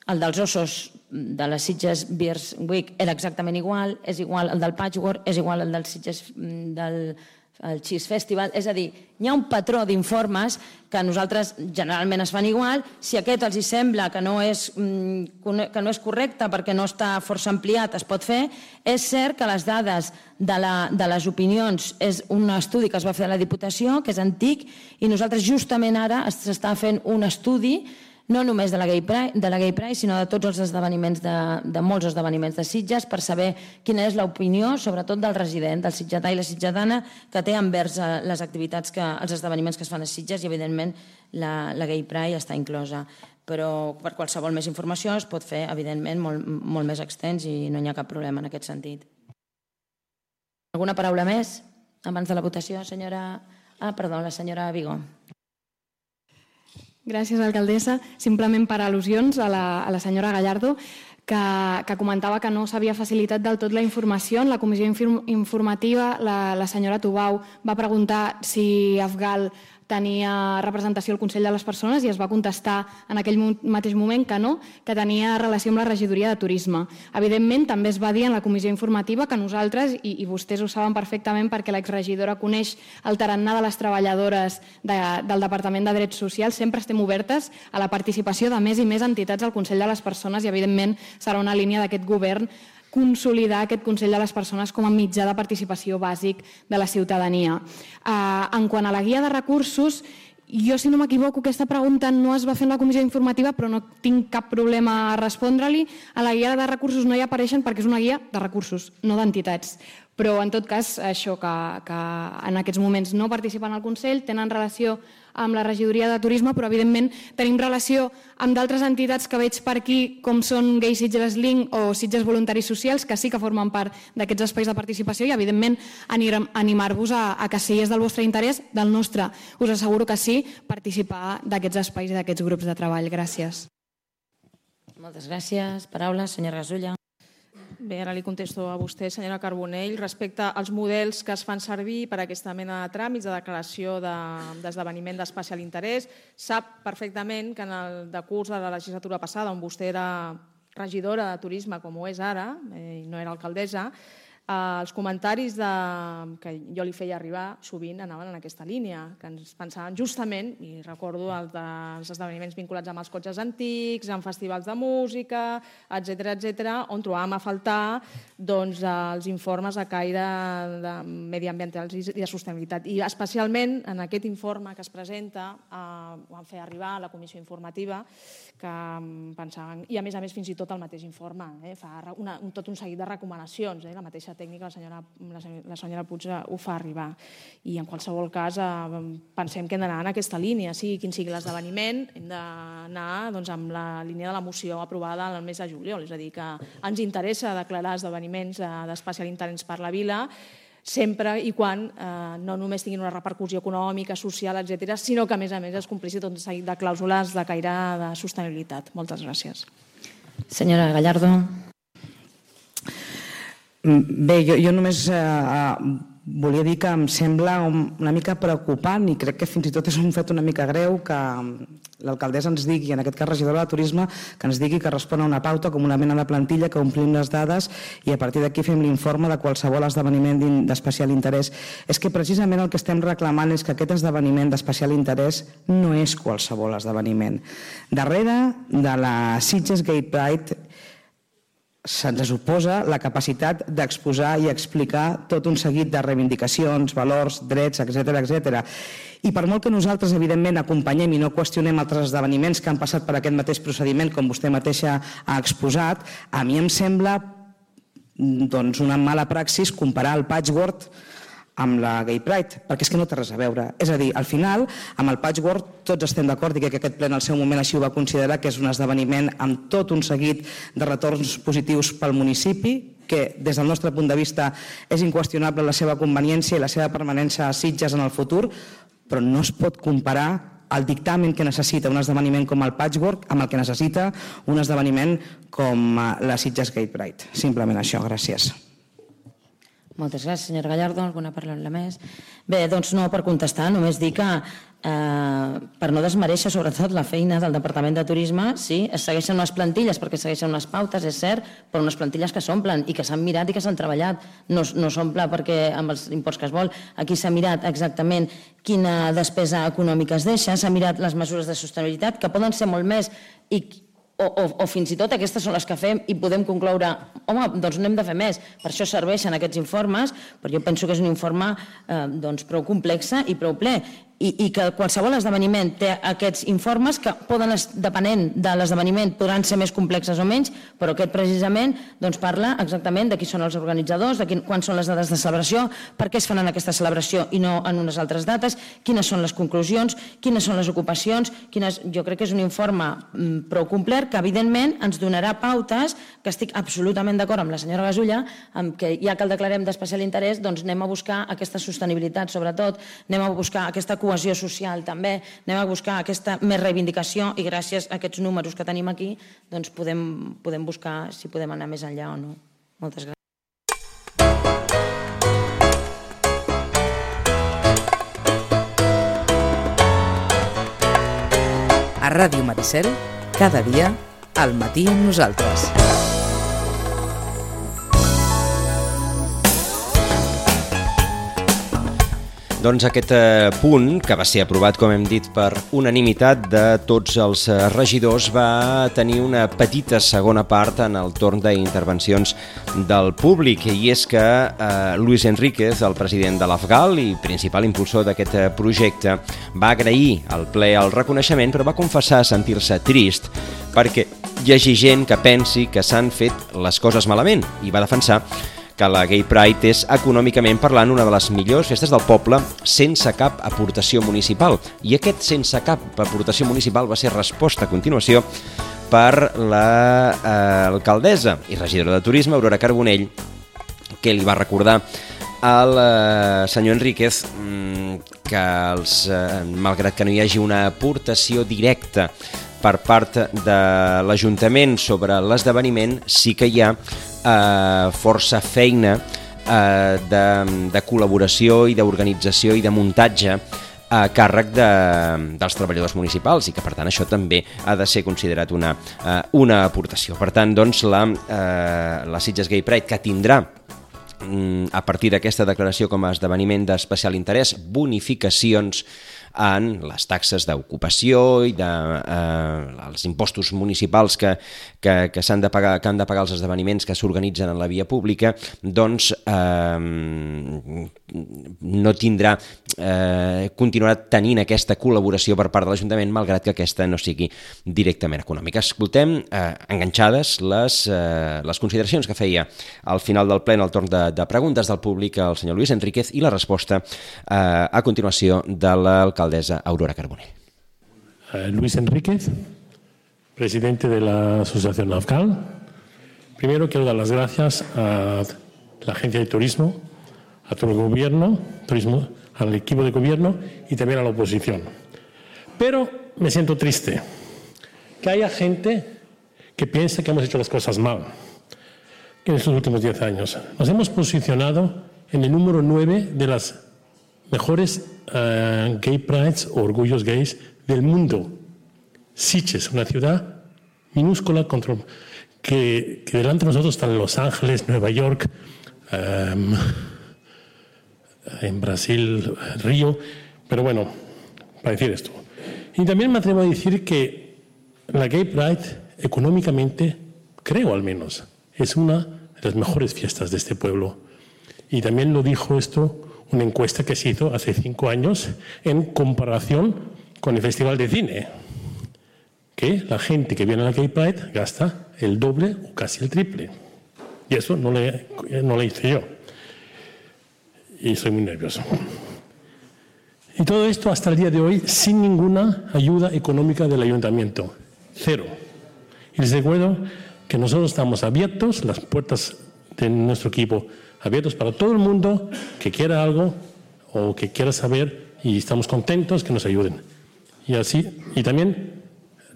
el dels ossos de les Sitges Beers Week era exactament igual, és igual el del Patchwork, és igual el del Sitges del Cheese Festival, és a dir, hi ha un patró d'informes que a nosaltres generalment es fan igual. Si aquest els hi sembla que no és correcte perquè no està força ampliat, es pot fer. És cert que les dades de les opinions és un estudi que es va fer a la Diputació, que és antic, i nosaltres justament ara s'està fent un estudi no només de la Gay Pride, sinó de tots els esdeveniments, de molts esdeveniments de Sitges, per saber quina és l'opinió, sobretot del resident, del sitgetà i la sitgetana, que té envers les activitats, els esdeveniments que es fan a Sitges, i evidentment la Gay Pride està inclosa. Però per qualsevol més informació es pot fer, evidentment, molt més extens i no hi ha cap problema en aquest sentit. Alguna paraula més abans de la votació, senyora? Perdó, la senyora Vigo. Gràcies, alcaldessa. Simplement per al·lusions a la senyora Gallardo, que comentava que no s'havia facilitat del tot la informació. En la comissió informativa, la senyora Tubau va preguntar si Afgal tenia representació al Consell de les Persones i es va contestar en aquell mateix moment que no, que tenia relació amb la regidoria de Turisme. Evidentment, també es va dir en la comissió informativa que nosaltres, i vostès ho saben perfectament perquè l'exregidora coneix el tarannà de les treballadores del Departament de Drets Socials, sempre estem obertes a la participació de més i més entitats al Consell de les Persones i, evidentment, serà una línia d'aquest govern consolidar aquest Consell de les Persones com a mitjà de participació bàsic de la ciutadania. En quant a la guia de recursos, jo, si no m'equivoco, aquesta pregunta no es va fer en la comissió informativa, però no tinc cap problema a respondre-li. A la guia de recursos no hi apareixen perquè és una guia de recursos, no d'entitats. Però, en tot cas, això que en aquests moments no participen al Consell, tenen relació amb la regidoria de Turisme, però, evidentment, tenim relació amb d'altres entitats que veig per aquí, com són Gay Sitges Link o Sitges Voluntaris Socials, que sí que formen part d'aquests espais de participació i, evidentment, animar-vos a que, si és del vostre interès, del nostre, us asseguro que sí, participar d'aquests espais i d'aquests grups de treball. Gràcies. Moltes gràcies. Paraules, senyora Gasulla. Bé, ara li contesto a vostè, senyora Carbonell, respecte als models que es fan servir per aquesta mena de tràmits de declaració d'esdeveniment d'especial interès. Sap perfectament que en el decurs de la legislatura passada, on vostè era regidora de Turisme, com ho és ara, i no era alcaldessa, els comentaris que jo li feia arribar sovint anaven en aquesta línia, que ens pensaven justament, i recordo els esdeveniments vinculats amb els cotxes antics, amb festivals de música, etc., on trobàvem a faltar els informes a caire mediambientals i de sostenibilitat. I especialment en aquest informe que es presenta ho van fer arribar a la comissió informativa, que pensaven, i a més fins i tot el mateix informe fa tot un seguit de recomanacions, la mateixa tècnica, la senyora Puig ho fa arribar. I en qualsevol cas pensem que hem d'anar en aquesta línia, sigui quin sigui l'esdeveniment, hem d'anar amb la línia de la moció aprovada el mes de juliol, és a dir, que ens interessa declarar esdeveniments d'especial interès per la vila, sempre i quan no només tinguin una repercussió econòmica, social, etc., sinó que a més es complissin tot un seguit de clàusules de caire de sostenibilitat. Moltes gràcies. Senyora Gallardo. Bé, jo només volia dir que em sembla una mica preocupant i crec que fins i tot és un fet una mica greu que l'alcaldessa ens digui, en aquest cas regidora de Turisme, que ens digui que respon a una pauta com una mena de plantilla, que omplim les dades i a partir d'aquí fem l'informe de qualsevol esdeveniment d'especial interès. És que precisament el que estem reclamant és que aquest esdeveniment d'especial interès no és qualsevol esdeveniment. Darrere de la Sitges Gay Pride se'ns suposa la capacitat d'exposar i explicar tot un seguit de reivindicacions, valors, drets, etc. I per molt que nosaltres, evidentment, acompanyem i no qüestionem altres esdeveniments que han passat per aquest mateix procediment, com vostè mateixa ha exposat, a mi em sembla una mala praxis comparar el Patchwork amb la Gay Pride, perquè és que no té res a veure. És a dir, al final, amb el Patchwork tots estem d'acord i que aquest ple en el seu moment així ho va considerar, que és un esdeveniment amb tot un seguit de retorns positius pel municipi, que des del nostre punt de vista és inqüestionable la seva conveniència i la seva permanència a Sitges en el futur, però no es pot comparar el dictamen que necessita un esdeveniment com el Patchwork amb el que necessita un esdeveniment com la Sitges Gay Pride. Simplement això, gràcies. Moltes gràcies, senyora Gallardo. Alguna paraula més? Bé, doncs no per contestar, només dir que per no desmereixer sobretot la feina del Departament de Turisme, sí, es segueixen unes plantilles perquè segueixen unes pautes, és cert, però unes plantilles que s'omplen i que s'han mirat i que s'han treballat. No s'omple perquè amb els imports que es vol. Aquí s'ha mirat exactament quina despesa econòmica es deixa, s'ha mirat les mesures de sostenibilitat, que poden ser molt més o fins i tot aquestes són les que fem i podem concloure, home, doncs no hem de fer més. Per això serveixen aquests informes, però jo penso que és un informe prou complex i prou ple. I que qualsevol esdeveniment té aquests informes que poden, depenent de l'esdeveniment, podran ser més complexes o menys, però aquest precisament parla exactament de qui són els organitzadors, de quan són les dates de celebració, per què es fan en aquesta celebració i no en unes altres dates, quines són les conclusions, quines són les ocupacions, jo crec que és un informe prou complet que evidentment ens donarà pautes, que estic absolutament d'acord amb la senyora Gasulla, que ja que el declarem d'especial interès, doncs anem a buscar aquesta sostenibilitat sobretot, anem a buscar aquesta cohesió social també, anem a buscar aquesta més reivindicació i gràcies a aquests números que tenim aquí doncs podem buscar si podem anar més enllà o no. Moltes gràcies. A Ràdio Maricel, cada dia, al matí amb nosaltres. Doncs aquest punt, que va ser aprovat, com hem dit, per unanimitat de tots els regidors, va tenir una petita segona part en el torn d'intervencions del públic, i és que Luis Enríquez, el president de l'Afgal i principal impulsor d'aquest projecte, va agrair al ple el reconeixement, però va confessar sentir-se trist perquè hi hagi gent que pensi que s'han fet les coses malament, i va defensar que la Gay Pride és, econòmicament parlant, una de les millors festes del poble sense cap aportació municipal. I aquest sense cap aportació municipal va ser resposta a continuació per l'alcaldessa i regidora de Turisme, Aurora Carbonell, que li va recordar al senyor Enríquez que malgrat que no hi hagi una aportació directa per part de l'Ajuntament sobre l'esdeveniment, sí que hi ha força feina de col·laboració i d'organització i de muntatge a càrrec dels treballadors municipals i que per tant això també ha de ser considerat una aportació. Per tant, doncs, la Sitges Gay Pride, que tindrà a partir d'aquesta declaració com a esdeveniment d'especial interès bonificacions en les taxes d'ocupació i els impostos municipals que han de pagar els esdeveniments que s'organitzen en la via pública, doncs no tindrà, continuarà tenint aquesta col·laboració per part de l'Ajuntament, malgrat que aquesta no sigui directament econòmica. Escoltem enganxades les consideracions que feia al final del ple en el torn de preguntes del públic el senyor Luis Enríquez i la resposta a continuació de l'alcaldessa Aurora Carbonell. Luis Enríquez, presidente de la Asociación Afgal. Primero quiero dar las gracias a la Agencia de Turismo, a todo el gobierno, al equipo de gobierno y también a la oposición. Pero me siento triste que haya gente que piensa que hemos hecho las cosas mal en estos últimos 10 años. Nos hemos posicionado en el número 9 de las mejores gay prides o orgullos gays del mundo. Sitges, una ciudad minúscula que delante de nosotros están Los Ángeles, Nueva York, en Brasil, Río, pero bueno, para decir esto. Y también me atrevo a decir que la Gay Pride, económicamente, creo al menos, es una de las mejores fiestas de este pueblo. Y también lo dijo esto una encuesta que se hizo hace 5 años en comparación con el Festival de Cine, que la gente que viene a la Gay Pride gasta el doble o casi el triple. Y eso no lo hice yo. Y estoy muy nervioso. Y todo esto hasta el día de hoy sin ninguna ayuda económica del ayuntamiento. 0. Y les recuerdo que nosotros estamos abiertos, las puertas de nuestro equipo abiertos para todo el mundo que quiera algo o que quiera saber, y estamos contentos que nos ayuden. Y también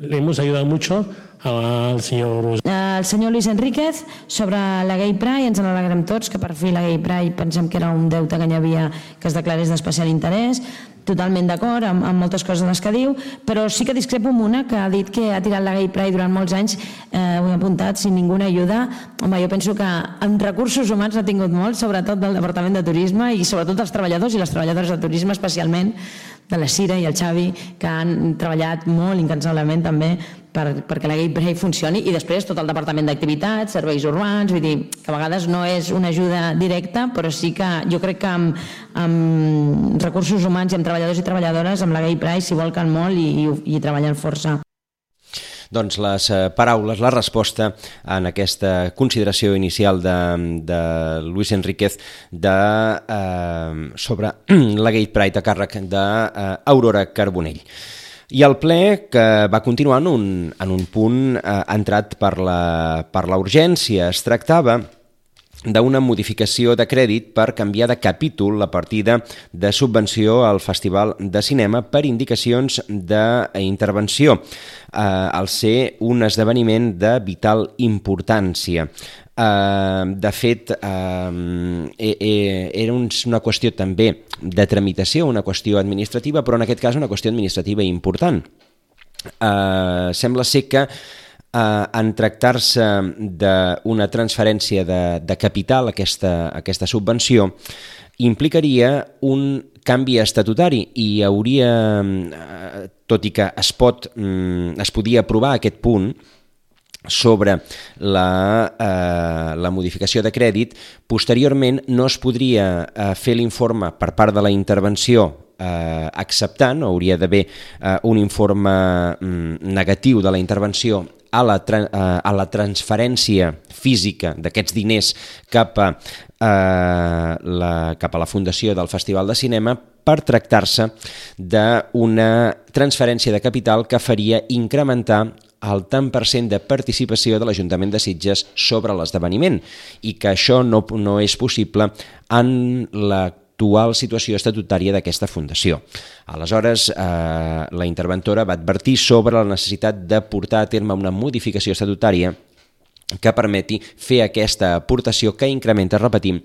le hemos ayudado mucho al senyor... El senyor Luis Enríquez, sobre la Gay Pride, ens n'alegrem tots, que per fi la Gay Pride pensem que era un deute que hi havia que es declarés d'especial interès, totalment d'acord amb moltes coses les que diu, però sí que discrepo amb una que ha dit que ha tirat la Gay Pride durant molts anys, ho he apuntat, sin ninguna ajuda. Home, jo penso que en recursos humans ha tingut molt, sobretot del Departament de Turisme i sobretot dels treballadors i les treballadores de turisme, especialment de la Cira i el Xavi, que han treballat molt incansablement també perquè la Gay Pride funcioni, i després tot el Departament d'Activitats, Serveis Urbans, vull dir que a vegades no és una ajuda directa, però sí que jo crec que amb recursos humans i amb treballadors i treballadores, amb la Gay Pride s'hi volquen molt i treballen força. Doncs les paraules, la resposta en aquesta consideració inicial de Luis Enríquez sobre la Gay Pride a càrrec d'Aurora Carbonell. I el ple, que va continuar en un punt entrat per la urgència, es tractava d'una modificació de crèdit per canviar de capítol la partida de subvenció al Festival de Cinema per indicacions d'intervenció, al ser un esdeveniment de vital importància. De fet, era una qüestió també de tramitació, una qüestió administrativa, però en aquest cas una qüestió administrativa important. Sembla ser que en tractar-se d'una transferència de capital, aquesta subvenció, implicaria un canvi estatutari i hauria, tot i que es podia aprovar aquest punt, sobre la modificació de crèdit, posteriorment no es podria fer l'informe per part de la intervenció acceptant, hauria d'haver un informe negatiu de la intervenció a la transferència física d'aquests diners cap a la Fundació del Festival de Cinema, per tractar-se d'una transferència de capital que faria incrementar el tant per cent de participació de l'Ajuntament de Sitges sobre l'esdeveniment, i que això no és possible en l'actual situació estatutària d'aquesta fundació. Aleshores, la interventora va advertir sobre la necessitat de portar a terme una modificació estatutària que permeti fer aquesta aportació que incrementa, repetim,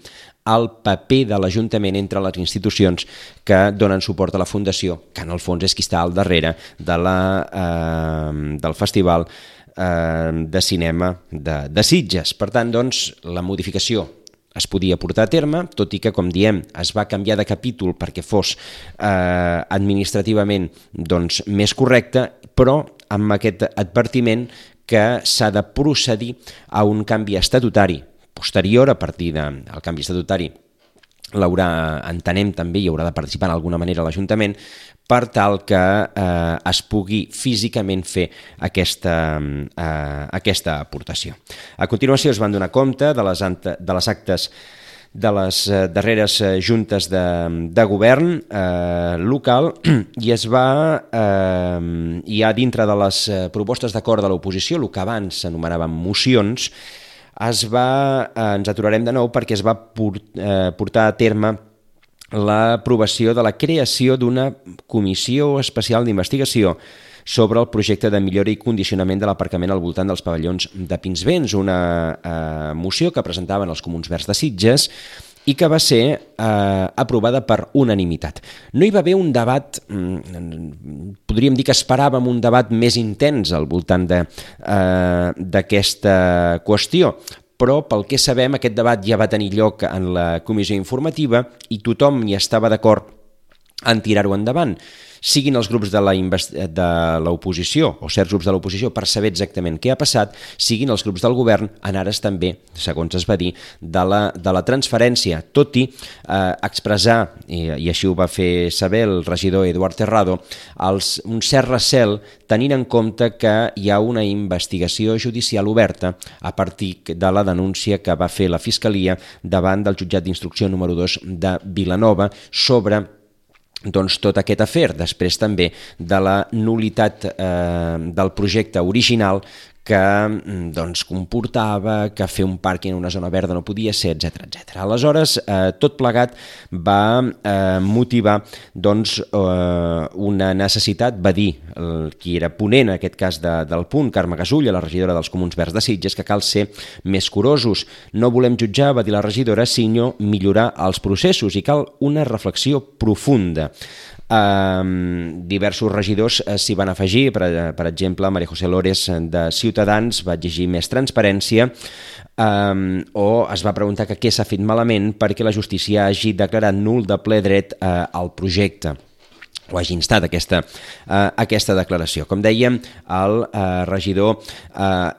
el paper de l'Ajuntament entre les institucions que donen suport a la Fundació, que en el fons és qui està al darrere del Festival de Cinema de Sitges. Per tant, doncs, la modificació es podia portar a terme, tot i que, com diem, es va canviar de capítol perquè fos administrativament més correcte, però amb aquest advertiment que s'ha de procedir a un canvi estatutari posterior. A partir del canvi estatutari entenem també hi haurà de participar d'alguna manera l'Ajuntament per tal que es pugui físicament fer aquesta aportació. A continuació es van donar compte de les actes de les darreres juntes de govern local i es va, ja dintre de les propostes d'acord de l'oposició, el que abans s'anomenaven mocions, ens aturarem de nou perquè es va portar a terme l'aprovació de la creació d'una comissió especial d'investigació sobre el projecte de millora i condicionament de l'aparcament al voltant dels pavellons de Pinsbens, una moció que presentaven els Comuns Verds de Sitges i que va ser aprovada per unanimitat. No hi va haver un debat, podríem dir que esperàvem un debat més intens al voltant d'aquesta qüestió, però pel que sabem aquest debat ja va tenir lloc en la comissió informativa i tothom hi estava d'acord en tirar-ho endavant, siguin els grups de l'oposició o certs grups de l'oposició per saber exactament què ha passat, siguin els grups del govern en ares també, segons es va dir, de la transferència, tot i expressar, i així ho va fer saber el regidor Eduard Terrado, un cert recel tenint en compte que hi ha una investigació judicial oberta a partir de la denúncia que va fer la Fiscalia davant del jutjat d'instrucció número 2 de Vilanova sobre tot aquest afer, després també de la nul·litat del projecte original que comportava que fer un pàrquing en una zona verda no podia ser, etc. Aleshores, tot plegat va motivar una necessitat, va dir qui era ponent en aquest cas del punt, Carme Gasulla, la regidora dels Comuns Verds de Sitges, que cal ser més curosos. No volem jutjar, va dir la regidora, sinó millorar els processos i cal una reflexió profunda. Diversos regidors s'hi van afegir, per exemple, María José Lores de Ciutadans va exigir més transparència o es va preguntar què s'ha fet malament perquè la justícia hagi declarat nul de ple dret al projecte o hagi instat aquesta declaració. Com dèiem, el regidor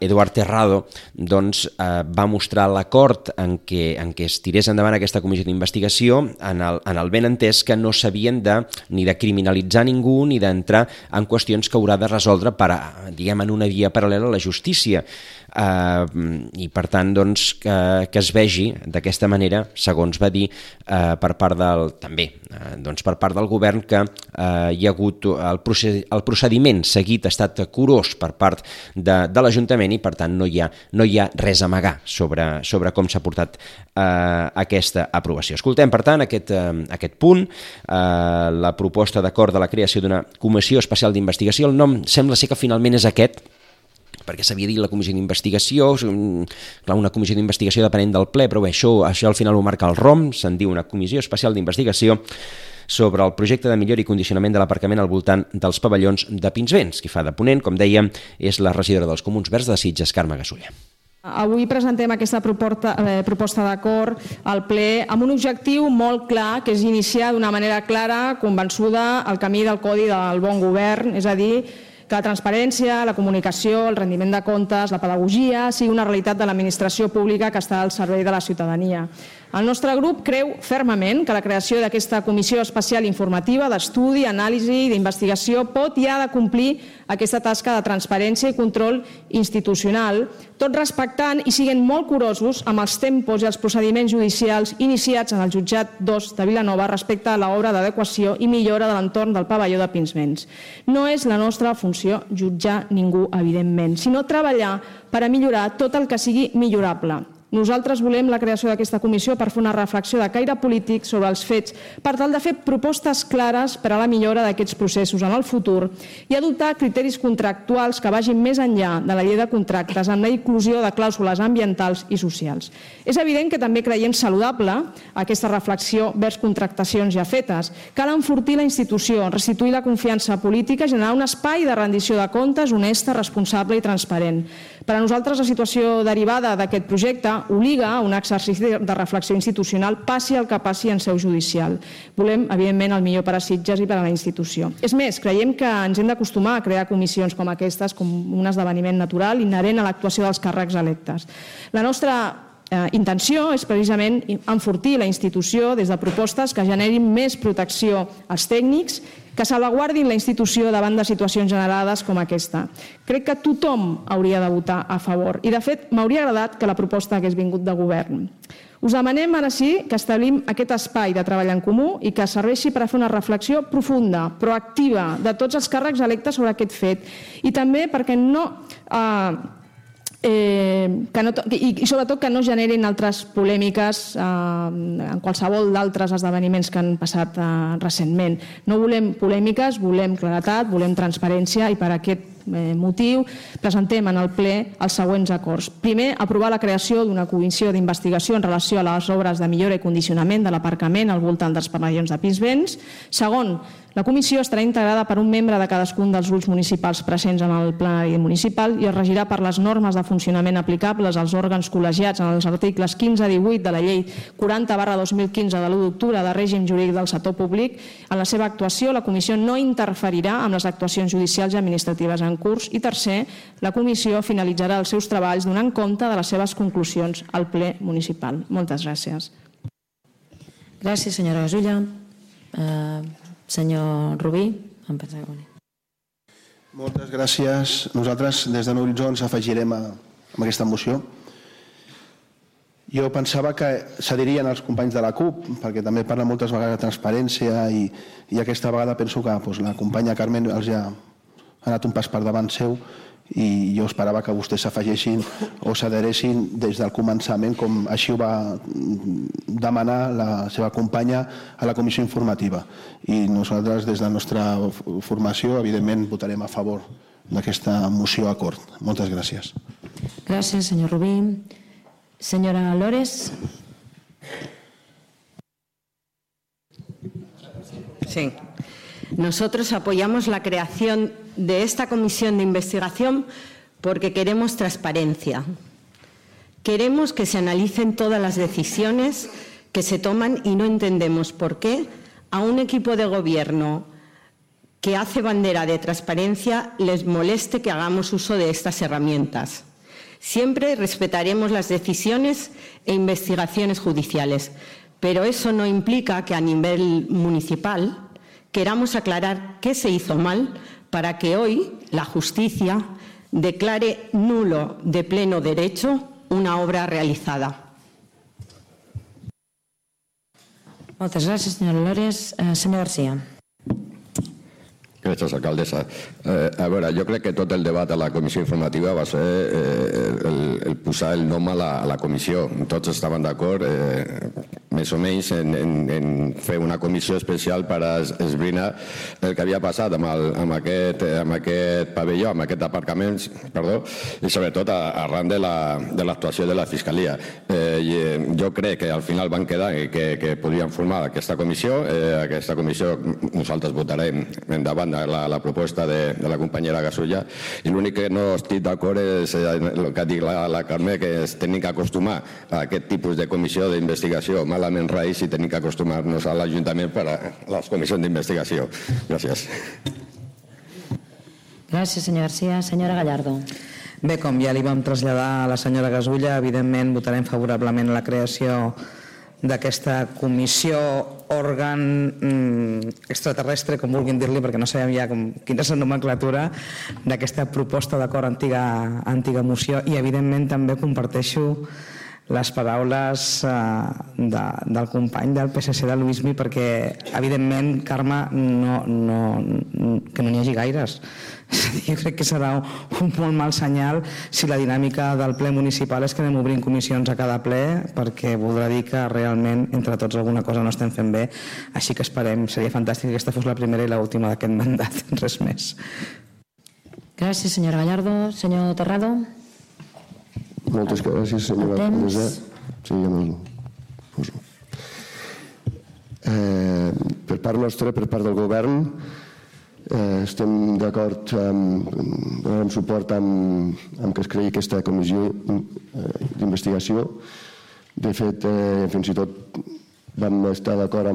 Eduard Terrado va mostrar l'acord en què es tirés endavant aquesta comissió d'investigació en el benentès que no s'havien ni de criminalitzar ningú ni d'entrar en qüestions que haurà de resoldre en una via paral·lela a la justícia. I per tant que es vegi d'aquesta manera, segons va dir, per part del govern, que hi ha hagut el procediment seguit, ha estat curós per part de l'Ajuntament i per tant no hi ha res a amagar sobre com s'ha portat aquesta aprovació. Escoltem per tant aquest punt, la proposta d'acord de la creació d'una comissió especial d'investigació. El nom sembla ser que finalment és aquest, perquè s'havia dit la comissió d'investigació, una comissió d'investigació depenent del ple, però bé, això al final ho marca el ROM, se'n diu una comissió especial d'investigació sobre el projecte de millora i condicionament de l'aparcament al voltant dels pavellons de Pinsbens. Qui fa de ponent, com dèiem, és la regidora dels Comuns Verds de Sitges, Carme Gasulla. Avui presentem aquesta proposta d'acord al ple amb un objectiu molt clar, que és iniciar d'una manera clara, convençuda, el camí del codi del bon govern, és a dir, que la transparència, la comunicació, el rendiment de comptes, la pedagogia sigui una realitat de l'administració pública que està al servei de la ciutadania. El nostre grup creu fermament que la creació d'aquesta comissió especial informativa d'estudi, anàlisi i d'investigació pot i ha de complir aquesta tasca de transparència i control institucional, tot respectant i siguent molt curosos amb els tempos i els procediments judicials iniciats en el jutjat 2 de Vilanova respecte a l'obra d'adequació i millora de l'entorn del pavelló de Pinsbens. No és la nostra funció jutjar ningú, evidentment, sinó treballar per a millorar tot el que sigui millorable. Nosaltres volem la creació d'aquesta comissió per fer una reflexió de caire polític sobre els fets per tal de fer propostes clares per a la millora d'aquests processos en el futur i adoptar criteris contractuals que vagin més enllà de la llei de contractes amb la inclusió de clàusules ambientals i socials. És evident que també creiem saludable aquesta reflexió vers contractacions ja fetes. Cal enfortir la institució, restituir la confiança política i generar un espai de rendició de comptes honesta, responsable i transparent. Per a nosaltres, la situació derivada d'aquest projecte obliga a un exercici de reflexió institucional, passi el que passi en seu judicial. Volem, evidentment, el millor per a Sitges i per a la institució. És més, creiem que ens hem d'acostumar a crear comissions com aquestes, com un esdeveniment natural inherent a l'actuació dels càrrecs electes. La nostra intenció és precisament enfortir la institució des de propostes que generin més protecció als tècnics, que salvaguardin la institució davant de situacions generades com aquesta. Crec que tothom hauria de votar a favor i, de fet, m'hauria agradat que la proposta hagués vingut de govern. Us demanem ara sí que establim aquest espai de treball en comú i que serveixi per a fer una reflexió profunda, proactiva, de tots els càrrecs electes sobre aquest fet i també perquè i sobretot que no generin altres polèmiques en qualsevol d'altres esdeveniments que han passat recentment. No volem polèmiques, volem claredat, volem transparència i per aquest motiu presentem en el ple els següents acords. Primer, aprovar la creació d'una comissió d'investigació en relació a les obres de millora i condicionament de l'aparcament al voltant dels pavellons de Pinsbens. Segon, la comissió estarà integrada per un membre de cadascun dels grups municipals presents en el plenari municipal i es regirà per les normes de funcionament aplicables als òrgans col·legiats en els articles 15 i 18 de la llei 40/2015 de l'1 d'octubre de règim jurídic del sector públic. En la seva actuació, la comissió no interferirà amb les actuacions judicials i administratives en curs. I tercer, la comissió finalitzarà els seus treballs donant compte de les seves conclusions al ple municipal. Moltes gràcies. Gràcies, senyora Gasulla. Senyor Rubí, en penseu. Moltes gràcies. Nosaltres, des de Nou Horitzó, ens afegirem a aquesta moció. Jo pensava que cedirien els companys de la CUP, perquè també parla moltes vegades de transparència i aquesta vegada penso que la companya Carmen els ha anat un pas per davant seu i jo esperava que vostès s'afegessin o s'adheressin des del començament, com així ho va demanar la seva companya a la comissió informativa. I nosaltres, des de la nostra formació, evidentment votarem a favor d'aquesta moció acord. Moltes gràcies. Gràcies, senyor Rubí. Senyora Lores. Sí. Nosotros apoyamos la creación de esta comisión de investigación porque queremos transparencia. Queremos que se analicen todas las decisiones que se toman y no entendemos por qué a un equipo de gobierno que hace bandera de transparencia les moleste que hagamos uso de estas herramientas. Siempre respetaremos las decisiones e investigaciones judiciales, pero eso no implica que a nivel municipal queramos aclarar qué se hizo mal para que hoy la justicia declare nulo de pleno derecho una obra realizada. Moltes gràcies, senyora Lores. Senyor García. Gràcies, alcaldessa. A veure, jo crec que tot el debat a la comissió informativa va ser el posar el nom a la comissió. Tots estaven d'acord, més o menys, en fer una comissió especial per esbrinar el que havia passat amb aquest pavelló, amb aquest aparcament, i sobretot arran de l'actuació de la Fiscalia. Jo crec que al final van quedar que podien formar aquesta comissió. Aquesta comissió nosaltres votarem endavant la proposta de la companyera Gasulla, i l'únic que no estic d'acord és el que ha dit la Carme, que es tenim que acostumar a aquest tipus de comissió d'investigació malament raïs i tenim que acostumar-nos a l'Ajuntament per a les comissions d'investigació. Gràcies. Gràcies, senyor García. Senyora Gallardo. Bé, com ja li vam traslladar a la senyora Gasulla, evidentment votarem favorablement la creació d'aquesta comissió òrgan extraterrestre, com vulguin dir-li, perquè no sabem ja quina és la nomenclatura d'aquesta proposta d'acord antiga moció, i evidentment també comparteixo les paraules del company del PSC de Luismi, perquè evidentment, Carme, que no n'hi hagi gaires. Jo crec que serà un molt mal senyal si la dinàmica del ple municipal és que anem obrint comissions a cada ple, perquè voldrà dir que realment entre tots alguna cosa no estem fent bé. Així que esperem, seria fantàstic que aquesta fos la primera i l'última d'aquest mandat, res més. Gràcies, senyora Gallardo. Senyor Terrado. Moltes gràcies, senyora alcaldessa. Sí, ja me'l poso. Per part nostra, per part del govern, estem d'acord, donarem suport amb que es creï aquesta comissió d'investigació. De fet, fins i tot vam estar d'acord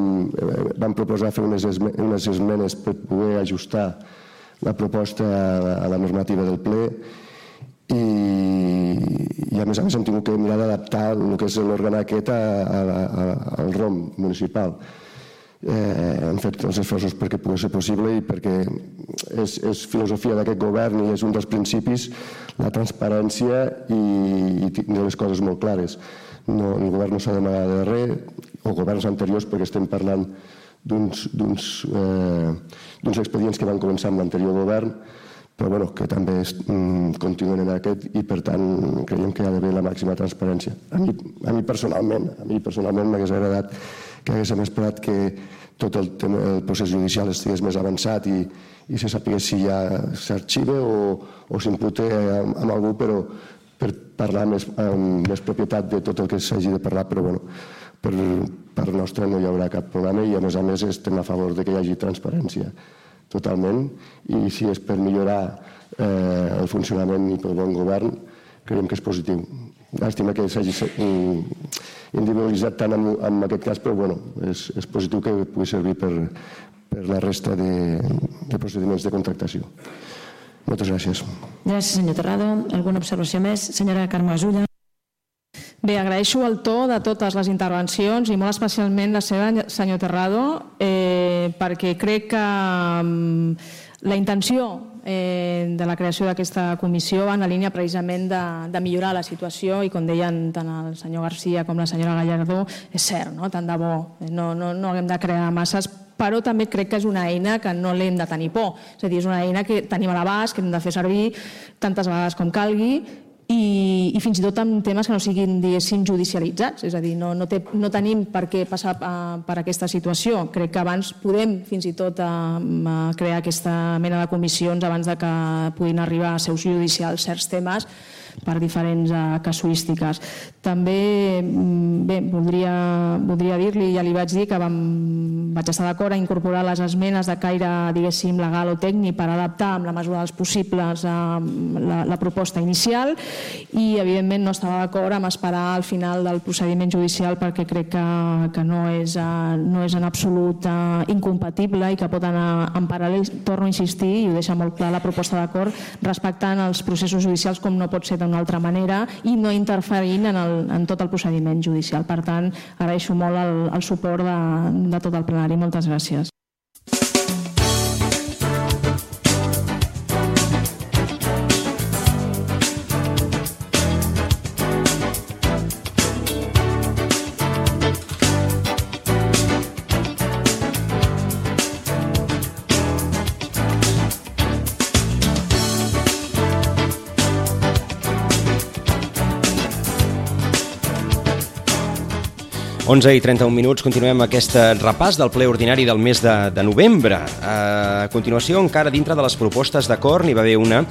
vam proposar fer unes esmenes per poder ajustar la proposta a la normativa del ple, i a més hem tingut que mirar d'adaptar el que és l'òrgan aquest al ROM municipal. Hem fet els esforços perquè pugui ser possible i perquè és filosofia d'aquest govern i és un dels principis la transparència i tenir les coses molt clares. El govern no s'ha d'amagar de res, o governs anteriors, perquè estem parlant d'uns expedients que van començar amb l'anterior govern, però que també continuen en aquest, i per tant creiem que hi ha d'haver la màxima transparència. A mi personalment m'hagués agradat que haguéssim esperat que tot el procés judicial estigués més avançat i se sapigués si ja s'arxiva o s'imputa amb algú, però per parlar amb més propietat de tot el que s'hagi de parlar. Però per part nostra no hi haurà cap problema, i a més estem a favor que hi hagi transparència totalment, i si és per millorar el funcionament i pel bon govern, creiem que és positiu. Llàstima que s'hagi individualitzat tant en aquest cas, però és positiu que pugui servir per la resta de procediments de contractació. Moltes gràcies. Gràcies, senyor Terrado. Alguna observació més? Senyora Carme Gasulla. Bé, agraeixo el to de totes les intervencions i molt especialment la seva, senyor Terrado, perquè crec que la intenció de la creació d'aquesta comissió va en la línia precisament de millorar la situació i, com deien tant el senyor Garcia com la senyora Gallardó, és cert, tant de bo, no haguem de crear masses, però també crec que és una eina que no l'hem de tenir por. És a dir, és una eina que tenim a l'abast, que hem de fer servir tantes vegades com calgui i fins i tot en temes que no siguin, diguéssim, judicialitzats. És a dir, no tenim per què passar per aquesta situació. Crec que abans podem fins i tot crear aquesta mena de comissions abans que puguin arribar a seus judicials certs temes per diferents casuístiques. També voldria dir-li, ja li vaig dir que vaig estar d'acord a incorporar les esmenes de caire, diguéssim, legal o tècnic per adaptar amb la mesura dels possibles la proposta inicial i, evidentment, no estava d'acord amb esperar al final del procediment judicial perquè crec que no és en absolut incompatible i que pot anar en paral·lel. Torno a insistir, i ho deixa molt clar la proposta d'acord, respectant els processos judicials com no pot ser d'una altra manera i no interferint en tot el procediment judicial. Per tant, agraeixo molt el suport de tot el plenari. Moltes gràcies. 11 i 31 minuts, continuem aquest repàs del ple ordinari del mes de novembre. A continuació, encara dintre de les propostes d'acord, n'hi va haver una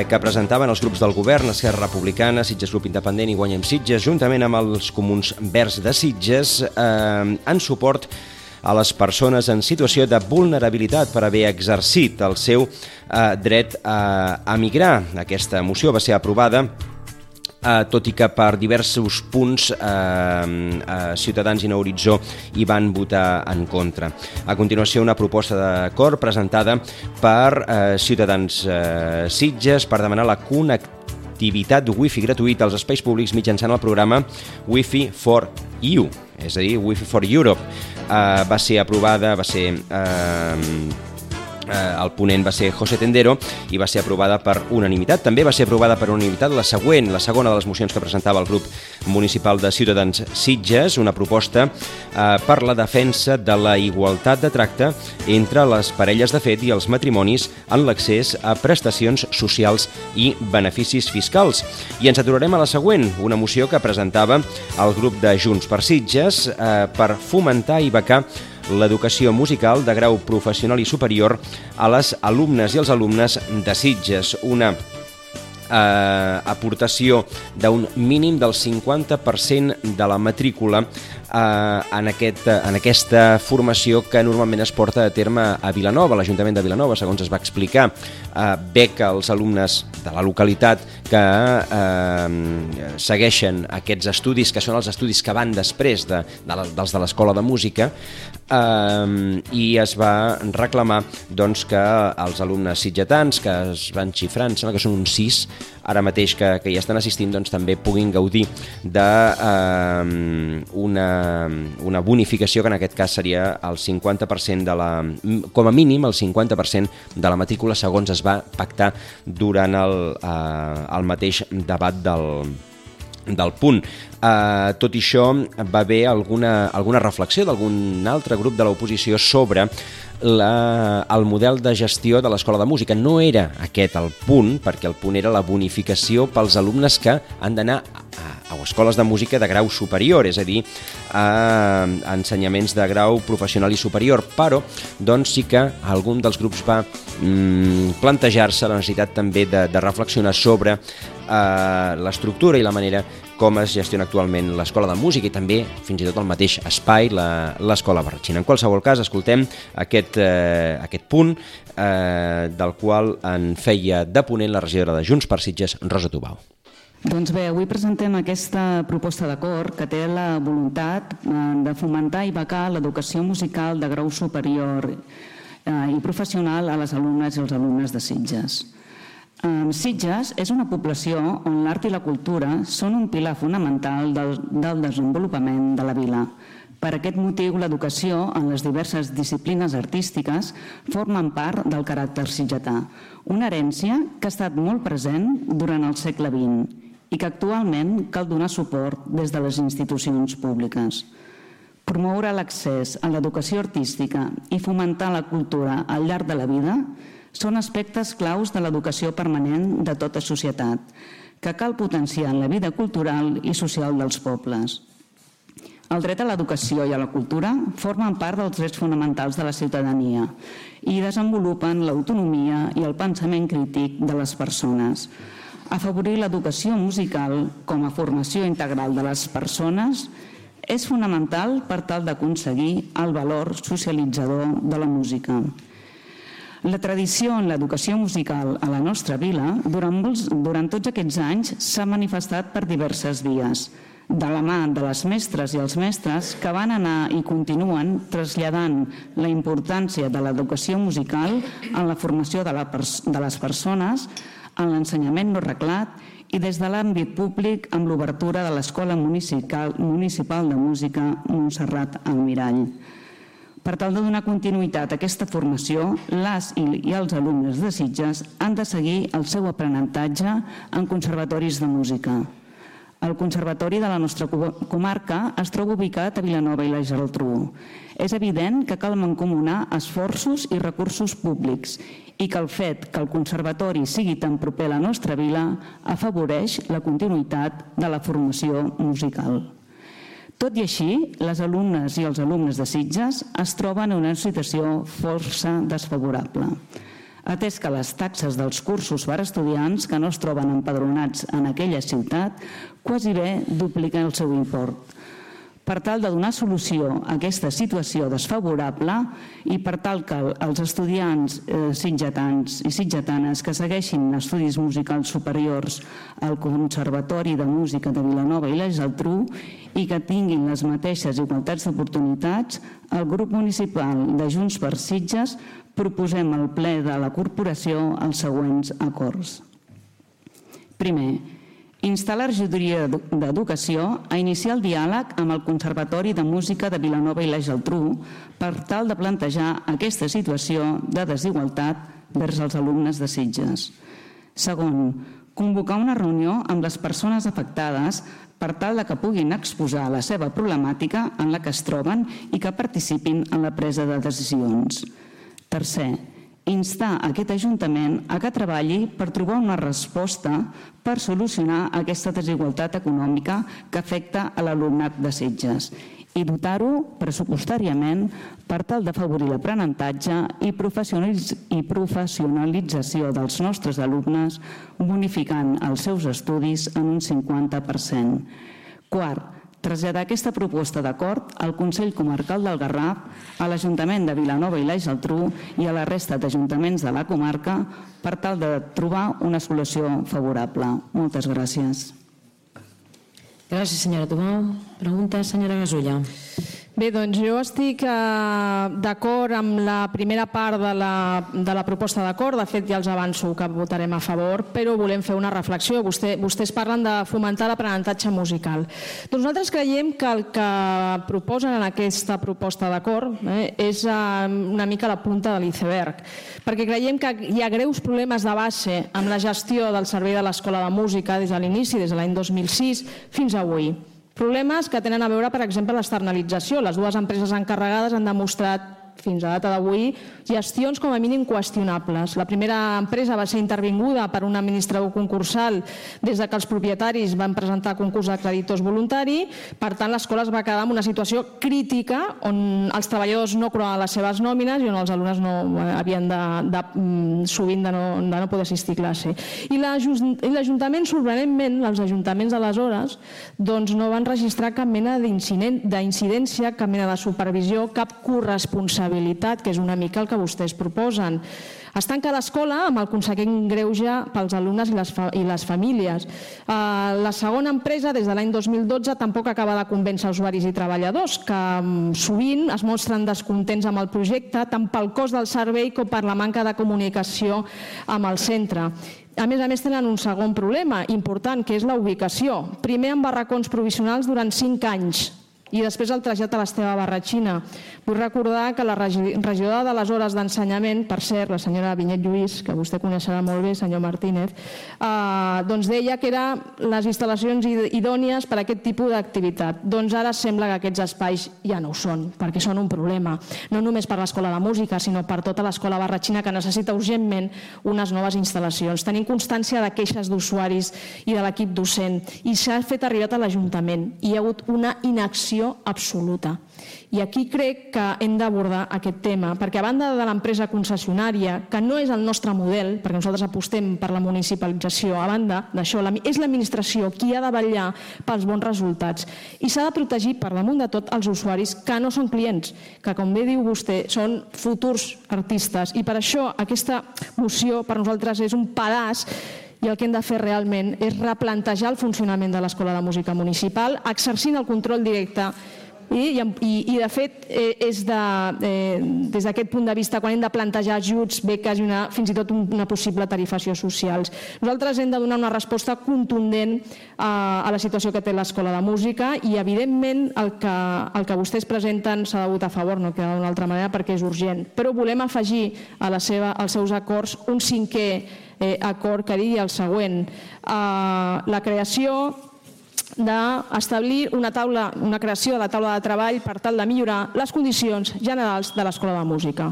que presentaven els grups del govern, Esquerra Republicana, Sitges Grup Independent i Guanyem Sitges, juntament amb els Comuns Verds de Sitges, en suport a les persones en situació de vulnerabilitat per haver exercit el seu dret a migrar. Aquesta moció va ser aprovada tot i que per diversos punts Ciutadans i Nou Horitzó hi van votar en contra. A continuació, una proposta d'acord presentada per Ciutadans Sitges per demanar la connectivitat wifi gratuïta als espais públics mitjançant el programa Wi-Fi for EU, és a dir, Wi-Fi for Europe. Va ser aprovada, el ponent va ser José Tendero i va ser aprovada per unanimitat. També va ser aprovada per unanimitat la segona de les mocions que presentava el grup municipal de Ciutadans Sitges, una proposta per la defensa de la igualtat de tracte entre les parelles de fet i els matrimonis en l'accés a prestacions socials i beneficis fiscals. I ens aturarem a la següent, una moció que presentava el grup de Junts per Sitges per fomentar i becar l'educació musical de grau professional i superior a les alumnes i els alumnes de Sitges. Una aportació d'un mínim del 50% de la matrícula en aquesta formació que normalment es porta a terme a Vilanova. L'Ajuntament de Vilanova, segons es va explicar, beca als alumnes de la localitat que segueixen aquests estudis, que són els estudis que van després dels de l'Escola de Música, i es va reclamar doncs, que els alumnes sitgetans, que es van xifrar, em sembla que són uns 6, ara mateix que hi estan assistint, doncs, també puguin gaudir d'una bonificació que en aquest cas seria el 50% com a mínim el 50% de la matrícula, segons es va pactar durant el mateix debat del punt. Tot i això, va haver alguna reflexió d'algun altre grup de l'oposició sobre el model de gestió de l'Escola de Música. No era aquest el punt, perquè el punt era la bonificació pels alumnes que han d'anar a escoles de música de grau superior, és a dir, a ensenyaments de grau professional i superior, però doncs sí que algun dels grups va plantejar-se la necessitat també de reflexionar sobre l'estructura i la manera com es gestiona actualment l'Escola de Música i també, fins i tot, el mateix espai, l'Escola Barratxina. En qualsevol cas, escoltem aquest punt del qual en feia de ponent la regidora de Junts per Sitges, Rosa Tubau. Doncs bé, avui presentem aquesta proposta d'acord que té la voluntat de fomentar i becar l'educació musical de grau superior i professional a les alumnes i els alumnes de Sitges. Sitges és una població on l'art i la cultura són un pilar fonamental del desenvolupament de la vila. Per aquest motiu, l'educació en les diverses disciplines artístiques formen part del caràcter sitgetà, una herència que ha estat molt present durant el segle XX i que actualment cal donar suport des de les institucions públiques. Promoure l'accés a l'educació artística i fomentar la cultura al llarg de la vida són aspectes claus de l'educació permanent de tota societat, que cal potenciar en la vida cultural i social dels pobles. El dret a l'educació i a la cultura formen part dels drets fonamentals de la ciutadania i desenvolupen l'autonomia i el pensament crític de les persones. Afavorir l'educació musical com a formació integral de les persones és fonamental per tal d'aconseguir el valor socialitzador de la música. La tradició en l'educació musical a la nostra vila durant tots aquests anys s'ha manifestat per diverses vies, de la mà de les mestres i els mestres que van anar i continuen traslladant la importància de l'educació musical en la formació de les persones, en l'ensenyament no reglat i des de l'àmbit públic amb l'obertura de l'Escola Municipal de Música Montserrat Almirall. Per tal de donar continuïtat a aquesta formació, les i els alumnes de Sitges han de seguir el seu aprenentatge en conservatoris de música. El Conservatori de la nostra comarca es troba ubicat a Vilanova i la Geltrú. És evident que cal mancomunar esforços i recursos públics i que el fet que el Conservatori sigui tan proper a la nostra vila afavoreix la continuïtat de la formació musical. Tot i així, les alumnes i els alumnes de Sitges es troben en una situació força desfavorable, atès que les taxes dels cursos per a estudiants que no es troben empadronats en aquella ciutat quasi bé dupliquen el seu import. Per tal de donar solució a aquesta situació desfavorable i per tal que els estudiants sitgetans i sitgetanes que segueixin estudis musicals superiors al Conservatori de Música de Vilanova i la Geltrú i que tinguin les mateixes igualtats d'oportunitats, el grup municipal de Junts per Sitges proposem al ple de la corporació els següents acords. Primer, instar la regidoria d'Educació a iniciar el diàleg amb el Conservatori de Música de Vilanova i la Geltrú per tal de plantejar aquesta situació de desigualtat vers els alumnes de Sitges. Segon, convocar una reunió amb les persones afectades per tal que puguin exposar la seva problemàtica en la que es troben i que participin en la presa de decisions. Tercer, instar aquest Ajuntament a que treballi per trobar una resposta per solucionar aquesta desigualtat econòmica que afecta a l'alumnat de Sitges i dotar-ho pressupostàriament per tal d'afavorir l'aprenentatge i professionalització dels nostres alumnes, bonificant els seus estudis en un 50%. Quart, traslladar aquesta proposta d'acord al Consell Comarcal del Garraf, a l'Ajuntament de Vilanova i la Geltrú i a la resta d'ajuntaments de la comarca per tal de trobar una solució favorable. Moltes gràcies. Gràcies, senyora Tomau. Pregunta, senyora Gasulla. Bé, doncs jo estic d'acord amb la primera part de la proposta d'acord. De fet, ja els avanço que votarem a favor, però volem fer una reflexió. Vostès parlen de fomentar l'aprenentatge musical. Doncs nosaltres creiem que el que proposen en aquesta proposta d'acord és una mica la punta de l'iceberg, perquè creiem que hi ha greus problemes de base amb la gestió del servei de l'Escola de Música des de l'inici, des de l'any 2006 fins avui. Problemes que tenen a veure, per exemple, l'externalització. Les dues empreses encarregades han demostrat fins a data d'avui gestions com a mínim qüestionables. La primera empresa va ser intervinguda per un administrador concursal des que els propietaris van presentar concurs de creditors voluntari. Per tant, l'escola es va quedar en una situació crítica on els treballadors no cobraven les seves nòmines i on els alumnes havien sovint de no poder assistir a classe. I l'Ajuntament, sorprenentment, els ajuntaments d'aleshores no van registrar cap mena d'incidència, cap mena de supervisió, cap corresponsabilitat, que és una mica el que vostès proposen. Es tanca l'escola amb el consegüent greuge pels alumnes i les famílies. La segona empresa, des de l'any 2012, tampoc acaba de convèncer usuaris i treballadors, que sovint es mostren descontents amb el projecte, tant pel cost del servei com per la manca de comunicació amb el centre. A més, tenen un segon problema important, que és la ubicació. Primer, amb barracons provisionals durant 5 anys. I després el trasllat a l'Esteve Barratxina. Vull recordar que la regidora de les hores d'ensenyament, per cert, la senyora Vinyet Lluís, que vostè coneixerà molt bé, senyor Martínez, doncs deia que eren les instal·lacions idònies per a aquest tipus d'activitat. Doncs ara sembla que aquests espais ja no ho són, perquè són un problema, no només per l'Escola de Música, sinó per tota l'Escola Barratxina, que necessita urgentment unes noves instal·lacions. Tenim constància de queixes d'usuaris i de l'equip docent i s'ha fet arribar a l'Ajuntament i hi ha hagut una inacció absoluta. I aquí crec que hem d'abordar aquest tema, perquè a banda de l'empresa concessionària, que no és el nostre model, perquè nosaltres apostem per la municipalització, a banda d'això, és l'administració qui ha de vetllar pels bons resultats. I s'ha de protegir per damunt de tot els usuaris que no són clients, que com bé diu vostè, són futurs artistes. I per això aquesta moció per nosaltres és un pedaç i el que hem de fer realment és replantejar el funcionament de l'Escola de Música Municipal, exercint el control directe i de fet és des d'aquest punt de vista quan hem de plantejar ajuts, beques i fins i tot una possible tarifació socials. Nosaltres hem de donar una resposta contundent a la situació que té l'Escola de Música i evidentment el que vostès presenten s'ha de votar a favor, no queda d'una altra manera perquè és urgent, però volem afegir als seus acords un cinquè acord que digui el següent: la creació d'establir una creació de la taula de treball per tal de millorar les condicions generals de l'Escola de Música.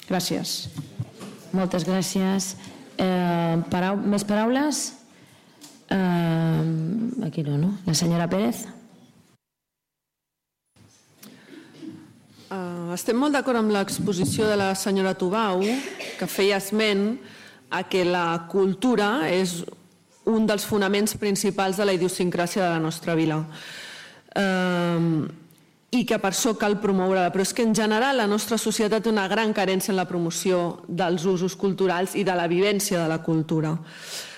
Gràcies. Moltes gràcies. Més paraules? Aquí no? La senyora Pérez. Estem molt d'acord amb l'exposició de la senyora Tubau, que feia esment a que la cultura és un dels fonaments principals de la idiosincràsia de la nostra vila i que per això cal promoure-la. Però és que en general la nostra societat té una gran carència en la promoció dels usos culturals i de la vivència de la cultura.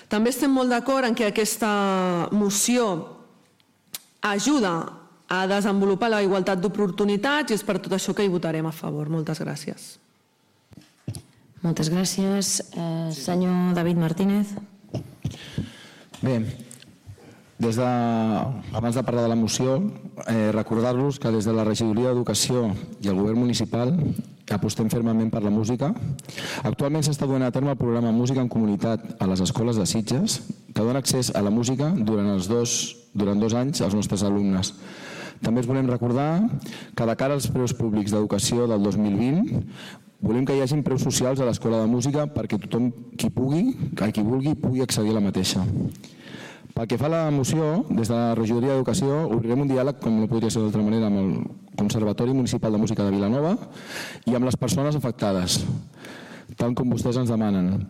També estem molt d'acord en que aquesta moció ajuda a desenvolupar la igualtat d'oportunitats i és per tot això que hi votarem a favor. Moltes gràcies. Moltes gràcies. Senyor David Martínez. Bé, abans de parlar de la moció, recordar-los que des de la Regidoria d'Educació i el Govern Municipal apostem fermament per la música. Actualment s'està duent a terme el programa Música en Comunitat a les escoles de Sitges, que dona accés a la música durant 2 anys als nostres alumnes. També us volem recordar que de cara als preus públics d'educació del 2020 volem que hi hagi preus socials a l'Escola de Música perquè tothom qui vulgui pugui accedir a la mateixa. Pel que fa a la moció, des de la Regidoria d'Educació obrirem un diàleg, com no podria ser d'altra manera, amb el Conservatori Municipal de Música de Vilanova i amb les persones afectades, tal com vostès ens demanen.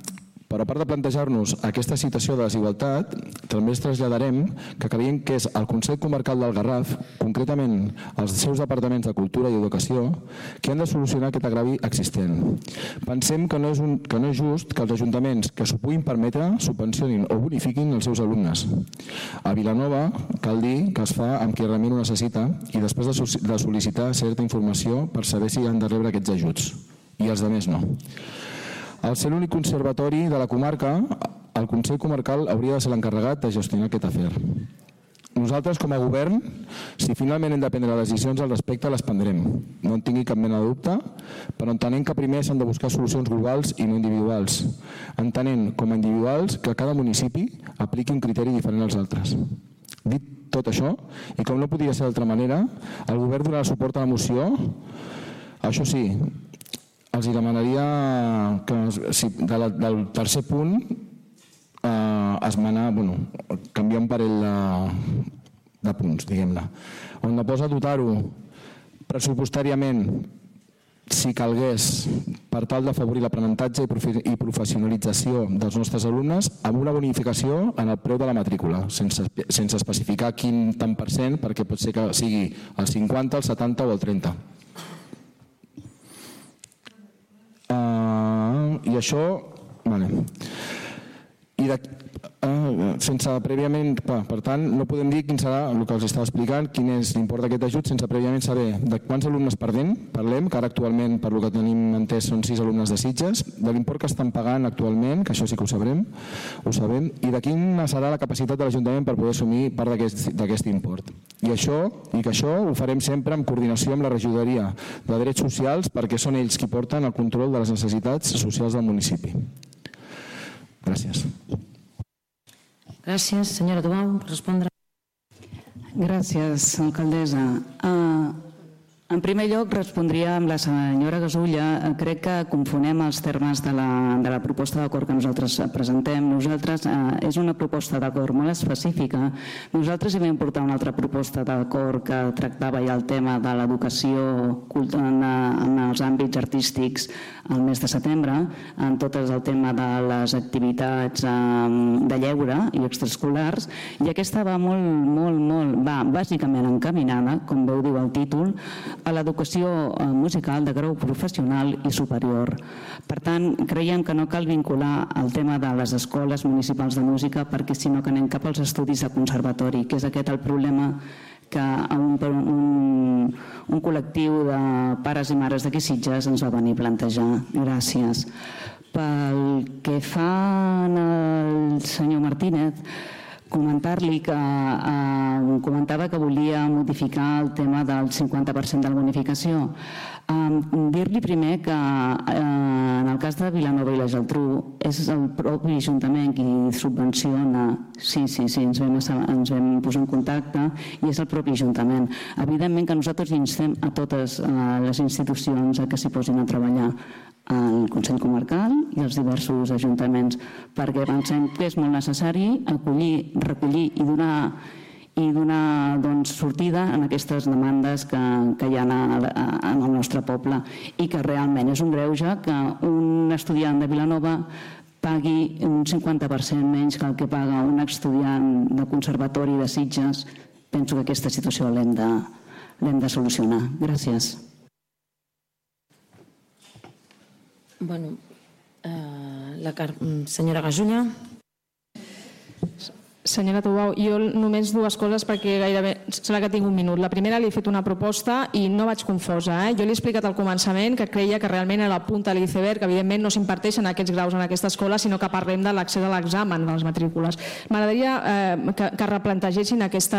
Però a part de plantejar-nos aquesta situació de desigualtat, també els traslladarem que creiem que és el Consell Comarcal del Garraf, concretament els seus departaments de Cultura i Educació, que han de solucionar aquest agrevi existent. Pensem que no és just que els ajuntaments que s'ho puguin permetre subvencionin o bonifiquin els seus alumnes. A Vilanova cal dir que es fa amb qui realment ho necessita i després de sol·licitar certa informació per saber si han de rebre aquests ajuts i els altres no. Al ser l'únic conservatori de la comarca, el Consell Comarcal hauria de ser l'encarregat de gestionar aquest afer. Nosaltres, com a govern, si finalment hem de prendre decisions al respecte, les prendrem. No en tingui cap mena de dubte, però entenent que primer s'han de buscar solucions globals i no individuals. Entenent, com a individuals, que cada municipi apliqui un criteri diferent als altres. Dit tot això, i com no podia ser d'altra manera, el govern donarà suport a la moció. Això sí, els demanaria que del tercer punt canviar un parell de punts, diguem-ne. On posa dotar-ho pressupostàriament, si calgués, per tal d'afavorir l'aprenentatge i professionalització dels nostres alumnes, amb una bonificació en el preu de la matrícula, sense especificar quin tant per cent, perquè pot ser que sigui el 50, el 70 o el 30. I això... sense prèviament... Per tant, no podem dir quin serà el que els estava explicant, quin és l'import d'aquest ajut, sense prèviament saber de quants alumnes parlem, que ara actualment, per lo que tenim entès, són 6 alumnes de Sitges, de l'import que estan pagant actualment, que això sí que ho sabem, i de quina serà la capacitat de l'Ajuntament per poder assumir part d'aquest import. I que això ho farem sempre en coordinació amb la regidoria de Drets Socials, perquè són ells qui porten el control de les necessitats socials del municipi. Gràcies. Gràcies. Senyora Tubau, per respondre. Gràcies, alcaldessa. En primer lloc, respondria amb la senyora Gasulla. Crec que confonem els termes de la proposta d'acord que nosaltres presentem. Nosaltres, és una proposta d'acord molt específica. Nosaltres hi vam portar una altra proposta d'acord que tractava ja el tema de l'educació en els àmbits artístics al mes de setembre, en tot el tema de les activitats de lleure i extraescolars, i aquesta va va bàsicament encaminada, com veu diu el títol, a l'educació musical de grau professional i superior. Per tant, creiem que no cal vincular el tema de les escoles municipals de música, perquè si no que anem cap als estudis de conservatori, que és aquest el problema que un col·lectiu de pares i mares d'aquí Sitges ens va venir a plantejar. Gràcies. Pel que fa al senyor Martínez, comentar-li que comentava que volia modificar el tema del 50% de la bonificació. Dir-li primer que en el cas de Vilanova i la Geltrú és el propi Ajuntament qui subvenciona. Sí, ens vam posar en contacte i és el propi Ajuntament. Evidentment que nosaltres instem a totes les institucions a que s'hi posin a treballar, al Consell Comarcal i als diversos ajuntaments, perquè pensem que és molt necessari acollir, recollir i donar sortida en aquestes demandes que hi ha en el nostre poble, i que realment és un greuge que un estudiant de Vilanova pagui un 50% menys que el que paga un estudiant de conservatori de Sitges. Penso que aquesta situació l'hem de solucionar. Gràcies. Bueno, senyora Gasulla. Senyora Tubau, jo només dues coses perquè gairebé sembla que tinc un minut. La primera, li he fet una proposta i no vaig confosa. Jo li he explicat al començament que creia que realment era la punta de l'iceberg, que evidentment no s'imparteixen aquests graus en aquesta escola, sinó que parlem de l'accés a l'examen de les matrícules. M'agradaria que replantegessin aquest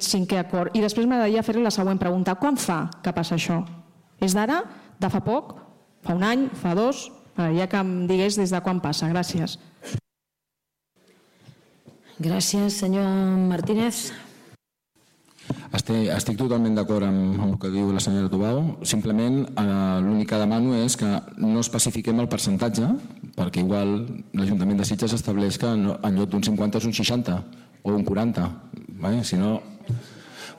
cinquè acord. I després m'agradaria fer-li la següent pregunta. Quan fa que passa això? És d'ara? De fa poc? Fa un any? Fa 2? M'agradaria que em digués des de quan passa. Gràcies. Gràcies, senyor Martínez. Estic totalment d'acord amb el que diu la senyora Tubau. Simplement l'únic que demano és que no especifiquem el percentatge, perquè igual l'Ajuntament de Sitges estableix que en lloc d'un 50 és un 60 o un 40. Si no...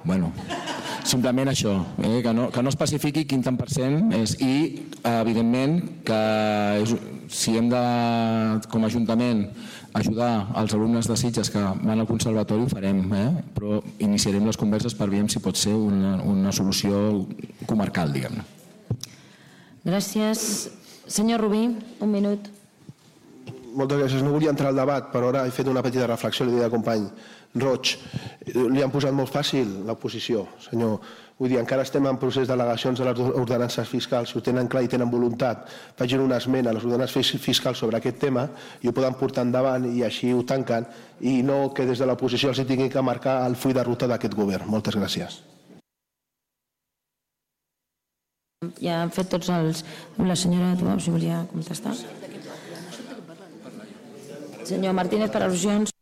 Bueno, simplement això, que no especifiqui quin tant per cent és, i evidentment que si hem de, com a Ajuntament, ajudar els alumnes de Sitges que van al conservatori ho farem, però iniciarem les converses per veure si pot ser una solució comarcal, diguem-ne. Gràcies. Senyor Rubí, un minut. Moltes gràcies. No volia entrar al debat, però ara he fet una petita reflexió, li deia al company Roig. Li han posat molt fàcil l'oposició, senyor. Vull dir, encara estem en procés d'al·legacions de les ordenances fiscals. Si ho tenen clar i tenen voluntat, facin una esmena a les ordenances fiscals sobre aquest tema i ho poden portar endavant i així ho tanquen, i no que des de l'oposició els tinguin que marcar el full de ruta d'aquest govern. Moltes gràcies. Ja han fet tots els... La senyora Tubau, si volia contestar. Senyor Martínez, per al·lusions.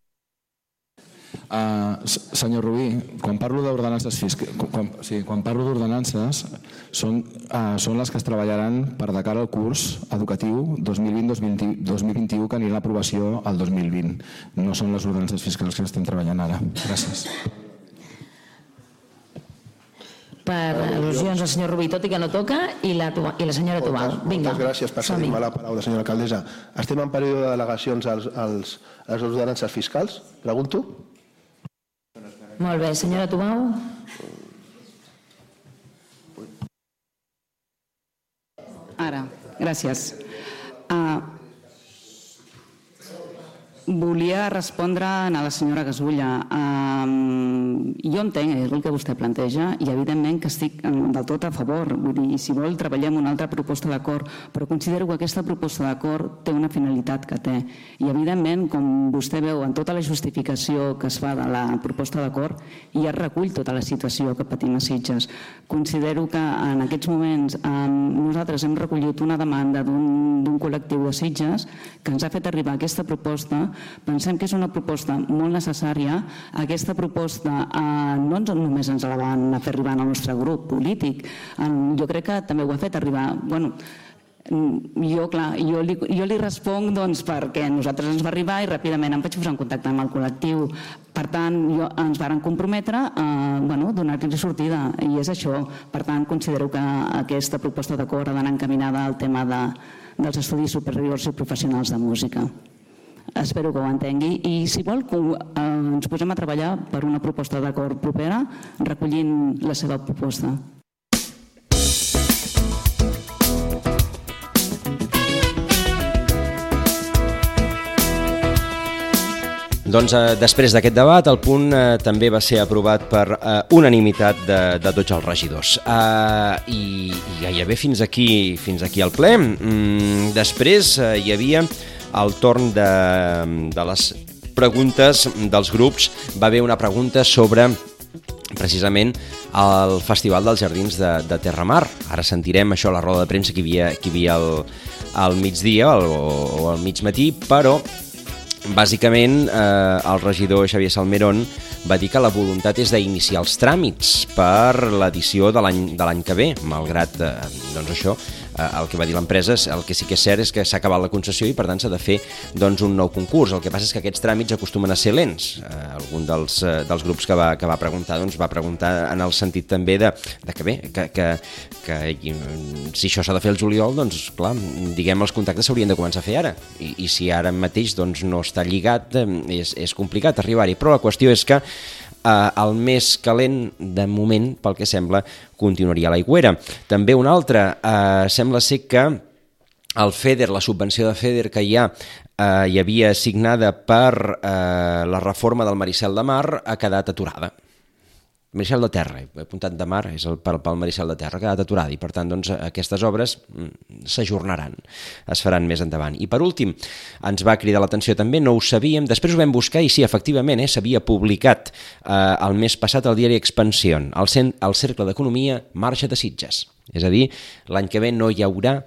Senyor Rubí, quan parlo d'ordenances són les que es treballaran per de cara al curs educatiu 2020-2021 que anirà a l'aprovació al 2020. No són les ordenances fiscals que estem treballant ara. Gràcies. Per al·lusions al senyor Rubí, tot i que no toca, i la senyora Tubau. Moltes gràcies per cedir-me la paraula, senyora alcaldessa. Estem en període de delegacions a les ordenances fiscals? Pregunto. Molt bé, senyora Tubau. Ara, gràcies. Volia respondre a la senyora Gasulla. Jo entenc el que vostè planteja i evidentment que estic del tot a favor. Vull dir, si vol treballem una altra proposta d'acord, però considero que aquesta proposta d'acord té una finalitat que té. I evidentment, com vostè veu en tota la justificació que es fa de la proposta d'acord, ja es recull tota la situació que patim a Sitges. Considero que en aquests moments nosaltres hem recollit una demanda d'un col·lectiu de Sitges que ens ha fet arribar aquesta proposta. Pensem que és una proposta molt necessària. Aquesta proposta no només ens la van fer arribar al nostre grup polític, jo crec que també ho ha fet arribar... Jo li responc perquè a nosaltres ens va arribar i ràpidament em vaig posar en contacte amb el col·lectiu. Per tant, ens varen comprometre a donar-li sortida i és això. Per tant, considero que aquesta proposta d'acord ha d'anar encaminada al tema dels estudis superiors i professionals de música. Espero que ho entengui i si vol ens posem a treballar per una proposta d'acord propera recollint la seva proposta. Doncs després d'aquest debat el punt també va ser aprovat per unanimitat de tots els regidors. I gairebé fins aquí el ple. Després hi havia el torn de les preguntes dels grups. Va haver una pregunta sobre precisament el Festival dels Jardins de Terramar. Ara sentirem això a la roda de premsa que hi havia al migdia o al migmatí, però bàsicament el regidor Xavier Salmerón va dir que la voluntat és d'iniciar els tràmits per l'edició de l'any que ve, malgrat això, el que va dir l'empresa, el que sí que és cert és que s'ha acabat la concessió i per tant s'ha de fer un nou concurs. El que passa és que aquests tràmits acostumen a ser lents. Algun dels grups que va preguntar va preguntar en el sentit també que si això s'ha de fer el juliol, doncs clar, diguem, els contactes s'haurien de començar a fer ara i si ara mateix no està lligat és complicat arribar-hi, però la qüestió és que el més calent, de moment, pel que sembla, continuaria a l'Aigüera. També un altre, sembla ser que el FEDER, la subvenció de FEDER que hi havia assignada per la reforma del Maricel de Mar, ha quedat aturada. Maricel de Terra, he apuntat de Mar, és pel Maricel de Terra, ha quedat aturada i per tant aquestes obres s'ajornaran, es faran més endavant. I per últim, ens va cridar l'atenció també, no ho sabíem, després ho vam buscar i sí, efectivament, s'havia publicat el mes passat al diari Expansión, el Cercle d'Economia marxa de Sitges. És a dir, l'any que ve no hi haurà,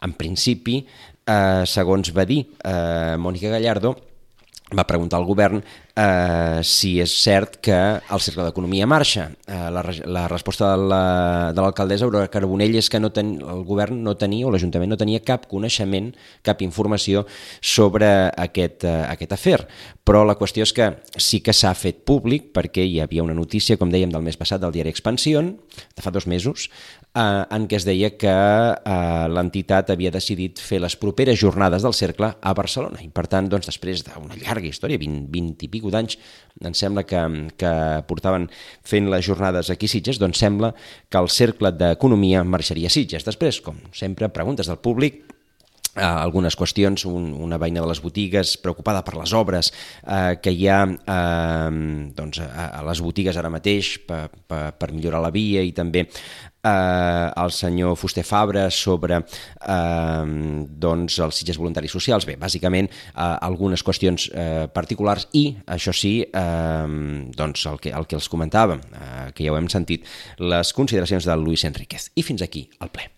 en principi, segons va dir Mònica Gallardo, va preguntar al govern si és cert que el Cercle d'Economia marxa. La resposta de l'alcaldessa Aurora Carbonell és que el govern no tenia, o l'Ajuntament no tenia cap coneixement, cap informació sobre aquest afer. Però la qüestió és que sí que s'ha fet públic, perquè hi havia una notícia, com dèiem, del mes passat del diari Expansión, de fa 2 mesos, en què es deia que l'entitat havia decidit fer les properes jornades del Cercle a Barcelona. I per tant, després d'una llarga història, 20 i pico d'anys, ens sembla que portaven fent les jornades aquí a Sitges, doncs sembla que el Cercle d'Economia marxaria a Sitges. Després, com sempre, preguntes del públic, algunes qüestions, una veïna de les botigues preocupada per les obres que hi ha a les botigues ara mateix per millorar la via i també el senyor Fuster Fabra sobre els Sitges Voluntaris Socials. Bé, bàsicament algunes qüestions particulars i, això sí, el que els comentàvem, que ja ho hem sentit, les consideracions de Luis Enríquez. I fins aquí el ple.